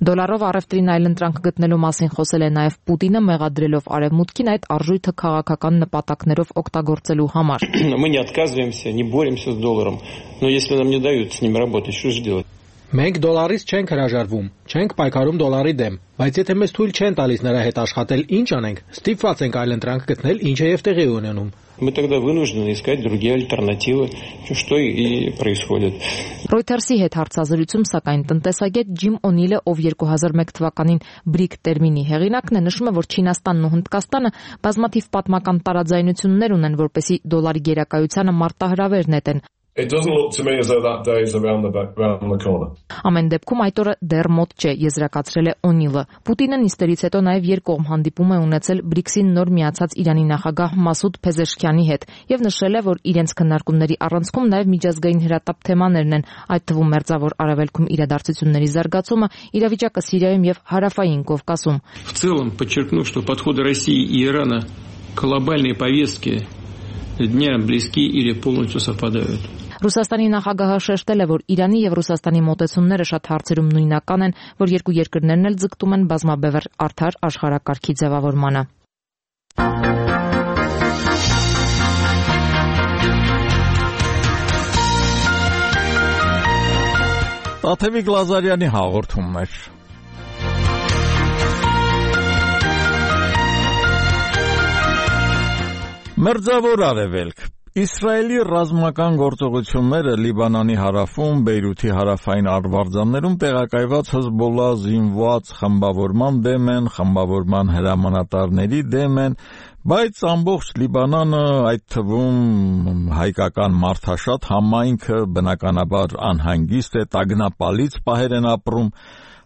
Դոլարով առևտրին այլընտրանք գտնելու մասին խոսել է նաև Պուտինը, մեղադրելով արևմուտքին այդ արժույթը քաղաքական նպատակներով օգտագործելու համար։ Мы не отказываемся, не боремся с долларом, но если нам не дают с ним работать, что же делать? Մենք դոլարից չենք հրաժարվում, չենք պայքարում դոլարի դեմ, բայց եթե մեզ թույլ չեն տալիս նրա հետ աշխատել, ինչ անենք, ստիպված ենք այլընտրանք գտնել, ինչը եւ տեղի ունենում։ Мы тогда вынуждены искать другие альтернативы, что и происходит. Reuters-ի հետ հարցազրույցում սակայն տնտեսագետ Ջիմ Օնիլը, ով երկու հազար մեկ թվականին բրիկ տերմինի հեղինակն է, նշում է, որ Չինաստանն ու Հնդկաստանը բազմաթիվ պատմական տարաձայնություններ ունեն, որպեսզի դոլարի գերակայությանը մարտահրավեր նետեն։ It doesn't look to me as though that day is around the back, around the corner. Ամեն դեպքում այդ օրը դեռ մոտ չէ, եզրակացրել է Օնիլը։ Պուտինը նիստերից հետո նաև երկկողմ հանդիպում է ունեցել բրիքսին նոր միացած Իրանի նախագահ Մասուդ Փեզեշքյանի հետ եւ նշել է, որ իրենց քննարկումների առանցքում նաև միջազգային հրատապ թեմաներն են, այդ թվում Մերձավոր Արևելքում իրադարձությունների զարգացումը, իրավիճակը Սիրիայում եւ Հարավային Կովկասում։ В целом подчеркну, что подходы России и Ирана к глобальной повестке дня близки или полностью совпадают. Ռուսաստանի նախագահը շեշտել է, որ Իրանի եւ Ռուսաստանի մոտեցումները շատ հարցերում նույնական են, որ երկու երկրներն էլ ձգտում են բազմաբևեռ արդար աշխարհակարգի ձևավորմանը։ Տաթևիկ Լազարյանի հաղորդումներ։ Մերձավոր Արևելք Իսրայելի ռազմական գործողությունները Լիբանանի հարավում, Բեյրութի հարավային արվարձաններում տեղակայված Հեզբոլլա զինված խմբավորման դեմ են, խմբավորման հրամանատարների դեմ են, բայց ամբողջ Լիբանանը, այդ թվում հայկական մարդաշատ համայնքը բնականաբար անհանգիստ է, տագնապալից պահեր են ապրում։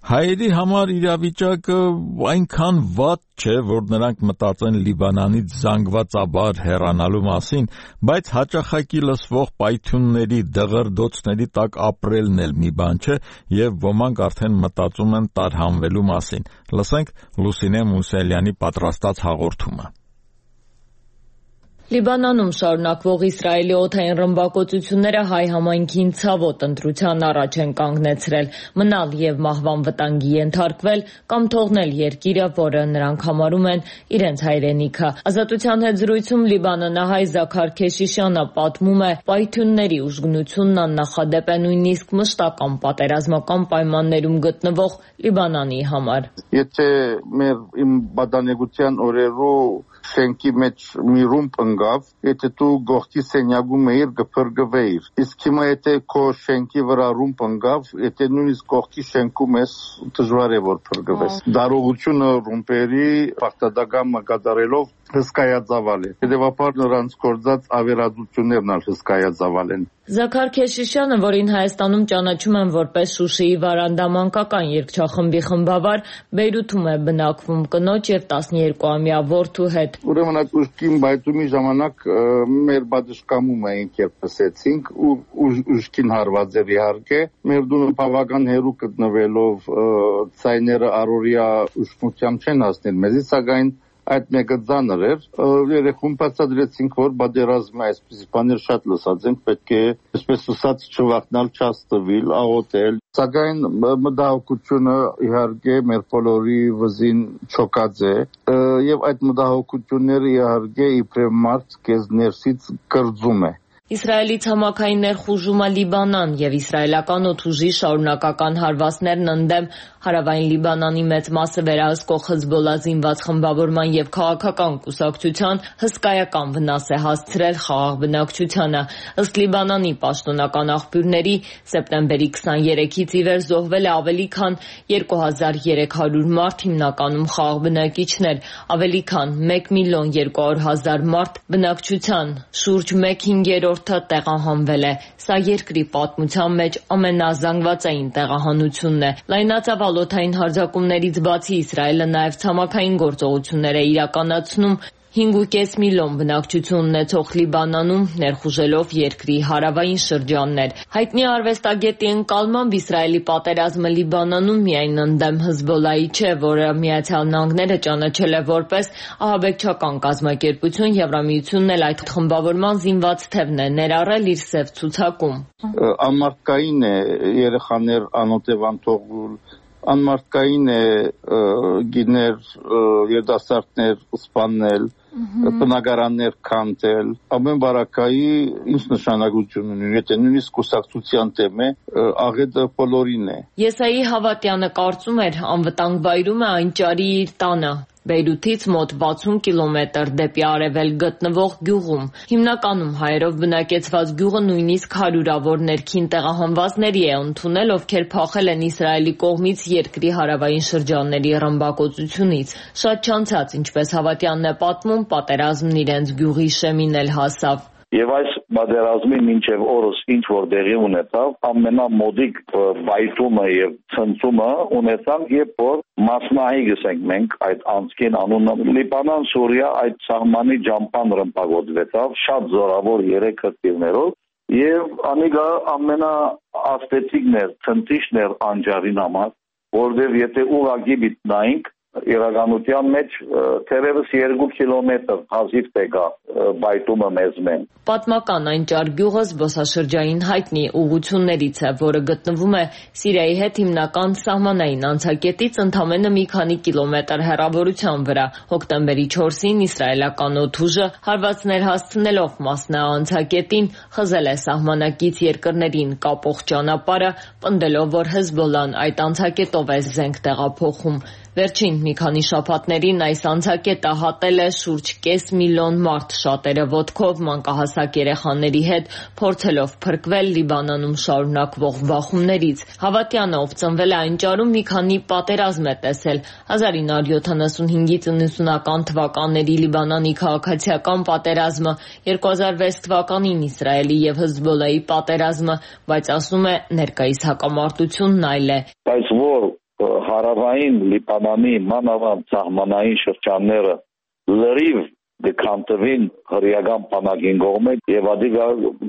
Հայերի համար իրավիճակը այնքան վատ չէ, որ նրանք մտածեն Լիբանանից զանգվածաբար հեռանալու մասին, բայց հաճախակի լսվող պայթյունների, դղրդոցների տակ ապրելն էլ մի բան չէ, եւ ոմանք արդեն մտածում են տարհանվելու մասին։ Լսենք Լուսինե Մուսելյանի պատրաստած հաղորդումը։ Լիբանանում շարունակվող Իսրայելի օդային ռմբակոծությունները հայ համայնքին ցավոտ ընտրության առաջ են կանգնեցրել՝ մնալ եւ մահվան վտանգի ենթարկվել կամ թողնել երկիրը, որը նրանք համարում են իրենց հայրենիքը։ Ազատության հետ զրույցում լիբանանահայ Զաքար Քեշիշյանը պատմում է, պայթյունների ուժգնությունն աննախադեպ է նույնիսկ մշտական պատերազմական պայմաններում գտնվող Լիբանանի համար։ Եթե մեր իմ բադանեկության օրերու շենքի մեջ մի ռումբ ընկավ, եթե դու գողքի սենյակում էիր գփրկվեիր։ Իսկ հիմա եթե քո շենքի վրա ռումբ ընկավ, եթե նույնիսկ գողքի շենքում ես, դժվար է որ փրկվես։ Դարողությունը ռումբերի պարտադակամը կատարելով հսկայածավալ է։ Հետևաբար նրանց գործած ավերածություններն ալ հսկայածավալ են։ Զաքար Քեշիշյանը, որին Հայաստանում ճանաչում են որպես Շուշիի վարանդամանկական երգչախմբի խմբավար, Բեյրութում է բնակվում կնոջ եւ տասներկուամյա որդու հետ։ Ուրեմն այդ ուժքին բայթումի ժամանակ մեր բادشկամում էինք երբ լսեցինք ու ուժքին հարված էր իհարկե։ Մեր դունը բավական հեռու գտնվելով ցայները առօրյա ուժգնությամբ չեն հասնել մեզից, սակայն այդ մեկը ծանր էր, երեխուն բացատրեցինք, որ բادرազմը այսպես բաներ շատ լսած ենք, պետք է այսպես ասած չվախնալ, չաստվել, աղոթել, սակայն մտահոգությունը իհարկե մեր բոլորի վզին չոքած է, եւ այդ մտահոգությունները իհարկե իբրև մարդ քեզ ներսից կրծում է։ Իսրայելի ցամաքային ներխուժումը Լիբանան եւ իսրայելական օդուժի շարունակական հարվածներն ընդդեմ հարավային Լիբանանի մեծ մասը վերահսկող Հեզբոլլա զինված խմբավորման եւ քաղաքական կուսակցության հսկայական վնաս է հասցրել խաղաղ բնակչությանը։ Ըստ Լիբանանի պաշտոնական աղբյուրների, սեպտեմբերի քսաներեքից ի վեր զոհվել է ավելի քան երկու հազար երեք հարյուր մարդ, հիմնականում խաղաղ բնակիչներ, ավելի քան մեկ միլիոն երկու հարյուր հազար մարդ բնակչության շուրջ մեկ հինգերորդը տեղահանվել է։ Սա երկրի պատմության մեջ ամենազանգվածային տեղահանությունն է։ Լայնածավալ օդային հարձակումներից բացի Իսրայելը նաև ցամաքային գործողություններ է իրականացնում հինգ ու կես միլիոն բնակչություն ունեցող Լիբանանում, ներխուժելով երկրի հարավային շրջաններ։ Հայտնի արվեստագետի ընկալմամբ Իսրայելի պատերազմը Լիբանանում միայն ընդդեմ Հեզբոլլայի չէ, որը Միացյալ Նահանգները ճանաչել է որպես ահաբեկչական կազմակերպություն, Եվրամիությունն էլ այդ խմբավորման զինված թևն է ներառել իր սև ցուցակում։ Անմարդկային է երեխաներ անօթևան թողել, անմարդկային է գիներ, երիտասարդներ սպանել, բնակարաններ քանդել, ամեն բարակայի ինչ նշանակություն ունի, եթե նույնիսկ կուսակցության թեմ է, աղետը բոլորին է։ Եսայի Հավատյանը կարծում էր, անվտանգ վայրում է այն ճարի իր տանը։ Բեյրութից մոտ վաթսուն կիլոմետր դեպի արևելք գտնվող գյուղում։ Հիմնականում հայերով բնակեցված գյուղը նույնիսկ հարյուրավոր ներքին տեղահանվածների է ընդունել, ովքեր փախել են Իսրայելի կողմից երկրի հարավային շրջանների ռմբակոծությունից։ Շատ չանցած, ինչպես Հավատյանն է պատմում, պատերազմն իրենց գյուղի շեմին էլ հասավ։ Եվ այս պատերազմի մինչև օրս ինչ որ տեղի ունեցավ, ամենամոդիկ բայթումը եւ ցնցումը ունեցան, երբ որ մասնահի գսենք մենք այդ անցքին անունը Լիբանան, Սուրիա այդ սահմանի ջամփան ռմբակոծվեցավ շատ զորավոր երեք հրթիռներով եւ անիկա ամենաաստեցիկն էր, ցնցիչն էր անջարին համար, որովհետեւ եթե ուղղակի մտնայինք իրականության մեջ թերևս երկու կիլոմետր հազիվ տեգա բայթումը մեզ մեն։ Պատմական այն ճար գյուղը զբոսաշրջային հայտնի ուղություններից է, որը գտնվում է Սիրիայի հետ հիմնական սահմանային անցակետից ընդամենը մի քանի կիլոմետր հեռավորության վրա։ Հոկտեմբերի չորսին իսրայելական օդուժը հարվածներ հասցնելով մասնա անցակետին խզել է սահմանակից երկրներին կապող ճանապարհը, պնդելով, որ Հեզբոլլան այդ անցակետով է զենք տեղափոխում։ Վերջին մի քանի շաբաթներին այս անցակետը հատել է շուրջ կես միլիոն մարդ, շատերը ոտքով, մանկահասակ երեխաների հետ, փորձելով փրկվել Լիբանանում շարունակվող բախումներից։ Հավատյանը, ով ծնվել է այն ճարում, մի քանի պատերազմ է տեսել։ հազար ինը հարյուր յոթանասունհինգից իննսունական թվականների Լիբանանի քաղաքացիական պատերազմը, երկու հազար վեց թվականին Իսրայելի եւ Հեզբոլլայի պատերազմը, բայց ասում է ներկայիս հակամարտությունն այլ է։ Բայց որ հարավային Լիբանանի մանավանդ սահմանային շրջանները լրիվ դեքանտվին հրեական բանակին կողմը եւ ադի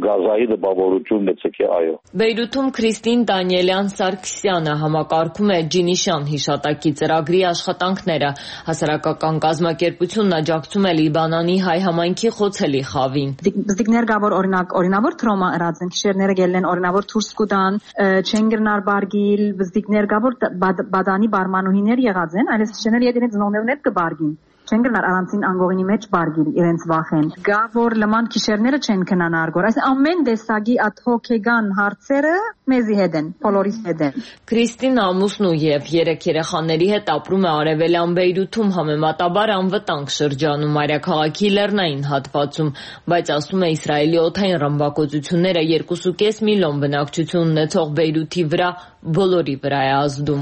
գազայի դպավորություն գցկե այո։ Բեյրութում Քրիստին Դանիելյան Սարգսյանը համակարգում է Ջինիշան հիշատակի ծրագրի աշխատանքները։ Հասարակական կազմակերպությունն աջակցում է Լիբանանի հայ համայնքի խոցելի խավին։ Բզդիկներ գավոր օրինակ օրինավոր թրոմա ըրածն քիշերները գելեն օրինավոր թուրս կուտան չեն գրնար բարգիլ բզդիկներ գավոր բադանի բարմանուհիներ եղած են այլս քիշերները յետինե ծնողներներ կբարգին չեն գնար առանցին անգողինի մեջ բարգիլ իրենց վախեն գա որ լման քիշերները չեն քնան արգոր այս ամեն դեսագի աթոքեգան հարցերը մեզի հետ են բոլորիս հետ են Քրիստին ամուսնու եւ երեք երեխաների հետ ապրում է արևելյան Բեյրութում համեմատաբար անվտանգ շրջանում մայրաքաղաքի լեռնային հատվածում բայց ասում է Իսրայելի օդային ռմբակոծությունները երկու կես միլիոն բնակչություն ունեցող Բեյրութի վրա բոլորի վրա է ազդում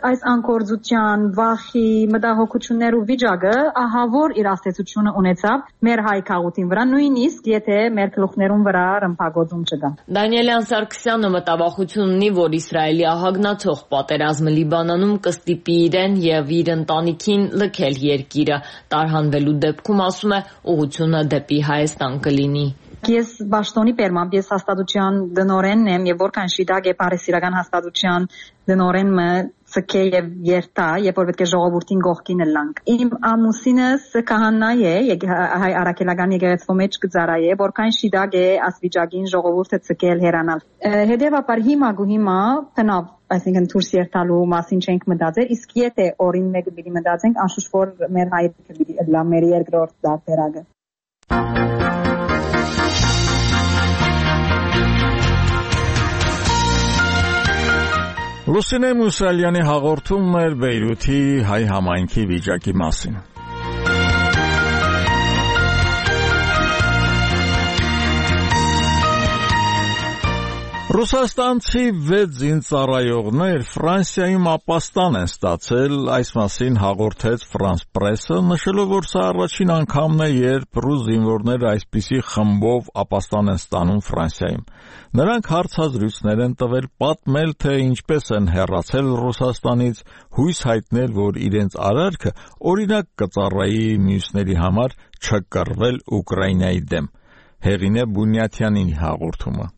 այս անկորձության վախի մտահոգություններ ու վիճակը ահավոր իր աստեցությունը ունեցավ մեր հայ քաղաքին վրա նույնիսկ եթե մեր գլուխներուն վրա ռմբակոծում չկա Դանիելյան Սարգսյանը մտավախություն ունի որ Իսրայելի ահագնացող պատերազմը Լիբանանում կստիպի իրեն եւ իր ընտանիքին լքել երկիրը տարհանվելու դեպքում ասում է ուղղությունը դեպի Հայաստան կլինի Ես Բաշտոնի Պերմամբ ես հաստատության դնորենն եմ եւ որքան շիտակ է Փարիսիրական հաստատության դնորենը ցկե եւ երթա երբ որ պետք է ժողովրդին գողքին լանք իմ ամուսինս քահանա է հայ արաքելական եկեղեցու մեջ կծարայ է որքան շիտակ է ասվիճակին ժողովուրդը ցկել հերանալ հետեւաբար հիմա գու հիմա տնավ այսինքն դուրս երթալու մասին չենք մտածել իսկ եթե օրին մեկը պիտի մտածենք անշուշտ որ մեր հայրիկը պիտի լա մեր երկրորդ դարբերակը Լուսինե Մուսալյանի հաղորդումն էր Բեյրութի հայ համայնքի վիճակի մասին։ Ռուսաստանցի վեց զինծառայողներ Ֆրանսիայում ապաստան են ստացել, այս մասին հաղորդեց France Press-ը, նշելով, որ սա առաջին անգամն է, երբ ռուս զինվորները այսպիսի խմբով ապաստան են ստանում Ֆրանսիայում։ Նրանք հարցազրույցներ են տվել, պատմել, թե ինչպես են հեռացել Ռուսաստանից, հույս հայտնել, որ իրենց արարքը օրինակ կծառայի մյուսների համար չկռվել Ուկրաինայի դեմ։ Հեղինե Բունյաթյանի հաղորդումը։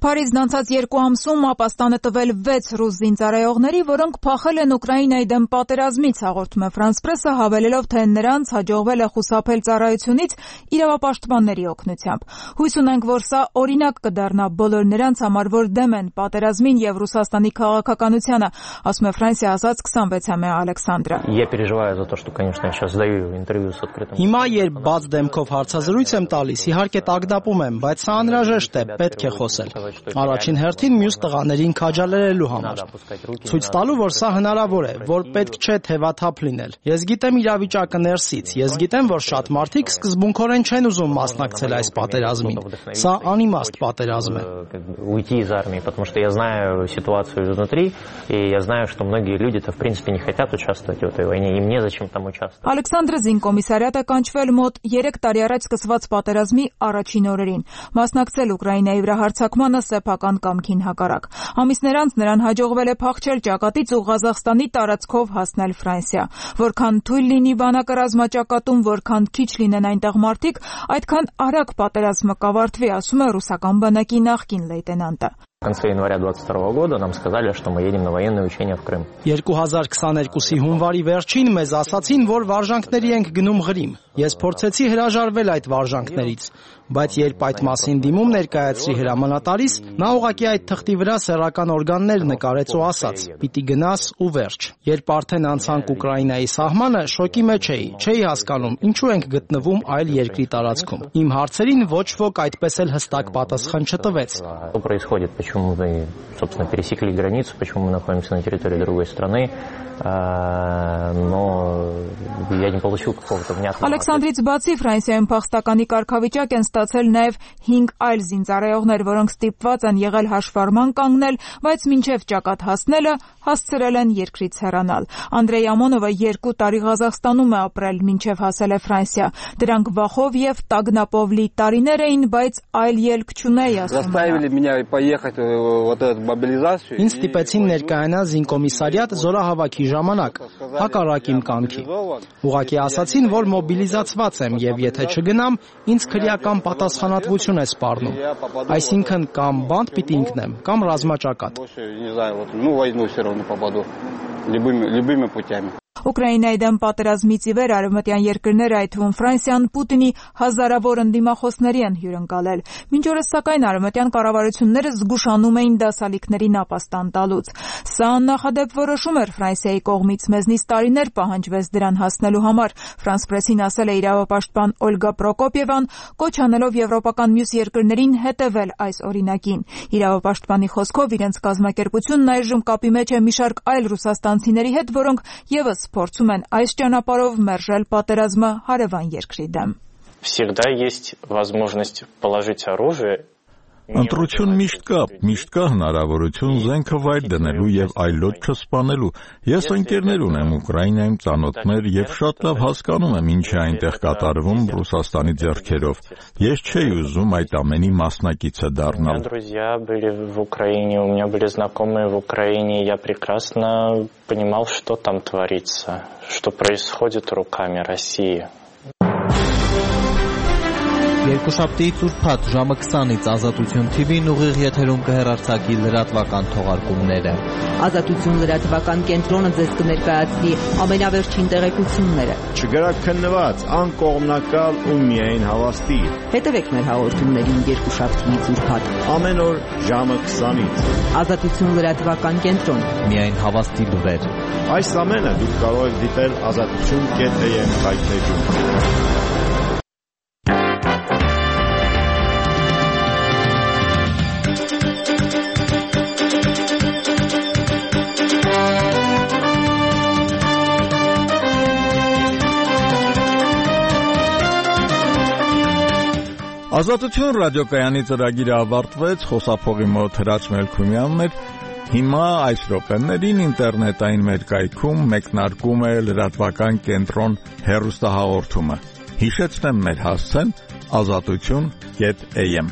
Փարիզն անցած երկու ամսում ապաստան է տվել վեց ռուս զինծառայողների, որոնք փախել են Ուկրաինայի դեմ պատերազմից, հաղորդում է France Press-ը, հավելելով, թե նրանց հաջողվել է խուսափել ծառայությունից իրավապաշտպանների օգնությամբ։ Հույս ունենք, որ սա օրինակ կդառնա բոլոր նրանց համար, որ դեմ են պատերազմին եւ Ռուսաստանի քաղաքականությանը, ասում է Ֆրանսիա ասած քսանվեցամյա Ալեքսանդրը։ Հիմա երբ բաց դեմքով հարցազրույց եմ տալիս, իհարկե տագնապում եմ, բայց սա անհրաժեշտ է, պետք է խոսել։ Առաջին հերթին մյուս տղաներին քաջալերելու համար։ Ցույց տալու, որ սա հնարավոր է, որ պետք չէ թևաթափ լինել։ Ես գիտեմ իրավիճակը ներսից, ես գիտեմ, որ շատ մարդիկ սկզբունքորեն չեն ուզում մասնակցել այս պատերազմին։ Սա անիմաստ պատերազմ է։ Уйти из армии, потому что я знаю ситуацию изнутри, и я знаю, что многие люди-то в принципе не хотят участвовать в этой войне, им незачем там участвовать. Ալեքսանդրը զինկոմիսարիատ է կանչվել մոտ երեք տարի առաջ սկսված պատերազմի առաջին օրերին։ Մասնակցել Ուկրաինայի վրա հարձակմանը սեփական կամքին հակառակ։ Ամիսներ անց նրան հաջողվել է փախչել ճակատից ու Ղազախստանի տարածքով հասնել Ֆրանսիա։ Որքան թույլ լինի բանակը ռազմաճակատում, որքան քիչ լինեն այնտեղ մարդիկ, այդքան արագ պատերազմը կավարտվի, ասում է ռուսական բանակի նախկին լեյտենանտը։ В конце января двадцать второго года нам сказали, что мы едем на военные учения в Крым. երկու հազար քսաներկուսի հունվարի վերջին մեզ ասացին, որ վարժանքների ենք գնում Ղրիմ։ Ես փորձեցի հրաժարվել այդ վարժանքներից, բայց երբ այդ մասին դիմում ներկայացրի հրամանատարից, նա ուղղակի այդ թղթի վրա սեռական օրգաններ նկարեց ու ասաց. «Պիտի գնաս ու վերջ»։ Երբ արդեն անցանք Ուկրաինայի սահմանը, շոկի մեջ էի, չէի հասկանում, ինչու ենք գտնվում այլ երկրի տարածքում։ Իմ հարցերին ոչ ոք այդպես էլ հստակ պատասխան չտվեց։ Почему мы, собственно, пересекли границу, почему мы находимся на территории другой страны, но я не получил какого-то внятного. Ալեքսանդրից բացի Ֆրանսիայում փախստականի կարգավիճակ են ստացել նաև հինգ այլ զինծառայողներ, որոնք ստիպված են եղել հաշվառման կանգնել, բայց մինչև ճակատ հասնելը հասցրել են երկրից հեռանալ։ Անդրեյ Ամոնովը երկու տարի Ղազախստանում է ապրել, մինչև հասել է Ֆրանսիա։ Դրանք վախով եւ տագնապով լի տարիներ էին, բայց այլ ելք չունեի, ասում է։ Ինձ ստիպեցին ներկայանալ զինկոմիսարիատ զորահավաքի ժամանակ, հակառակ իմ կամքի։ Ուղղակի ասացին, որ մոբիլիզացված եմ եւ եթե չգնամ, ինձ քրեական պատասխանատվություն է սպառնում։ Այսինքն կամ բանտ պիտի ընկնեմ, կամ ռազմաճակատ։ Ուկրաինայի դեմ պատերազմից ի վեր արևմտյան երկրները, այդ թվում Ֆրանսիան, Պուտինի հազարավոր ընդդիմախոսների են հյուրընկալել։ Մինչ օրս սակայն արևմտյան կառավարությունները զգուշանում էին դասալիքներին ապաստան տալուց։ Սա աննախադեպ որոշում էր Ֆրանսիայի կողմից, մեզնից տարիներ պահանջվեց դրան հասնելու համար։ Ֆրանս պրեսին ասել է իրավապաշտպան Օլգա Պրոկոպիևան, կոչ անելով եվրոպական մյուս երկրներին հետևել այս օրինակին։ Իրավապաշտպանի խոսքով իրենց կազմակերպությունն այժմ կապի մեջ է մի շարք այլ ռուսաստանցիների հետ, որոնք ևս փորձում են այս ճանապարհով մերժել պատերազմը հարևան երկրի դեմ։ Всегда есть возможность положить оружие. Ընտրություն միշտ կա, միշտ կա հնարավորություն զենքը վայր դնելու եւ այլոց չսպանելու։ Ես ընկերներ ունեմ Ուկրաինայում, ծանոթներ եւ շատ լավ հասկանում եմ ինչ է այնտեղ կատարվում Ռուսաստանի ձեռքերով։ Ես չէի ուզում այդ ամենի մասնակիցը դառնալ։ Друзья были в Украине, у меня были знакомые в Украине, я прекрасно понимал, что там творится, что происходит руками России. Երկուշաբթիից ուրբաթ ժամը քսանից Ազատություն թի վին ուղիղ եթերում կհեռարձակի լրատվական թողարկումները։ Ազատություն լրատվական կենտրոնը ձեզ կներկայացնի ամենավերջին տեղեկությունները։ Չգրաքննված, անկողմնակալ ու միայն հավաստի։ Հետևեք մեր հաղորդումներին երկուշաբթիից ուրբաթ ամեն օր ժամը քսանից։ Ազատություն լրատվական կենտրոն։ Միայն հավաստի լուրեր։ Այս ամենը դուք կարող եք դիտել ազատություն կետ էյ էմ հայթեջում։ Ազատություն ռադիոկայանի ծրագիրը ավարտվեց, խոսափողի մոտ Հրաչ Մելքումյանն էր։ Հիմա այս րոպեներին ինտերնետային մեր կայքում մեկնարկում է լրատվական կենտրոն հեռուստահաղորդումը։ Հիշեցնեմ մեր հասցեն ազատություն կետ էյ էմ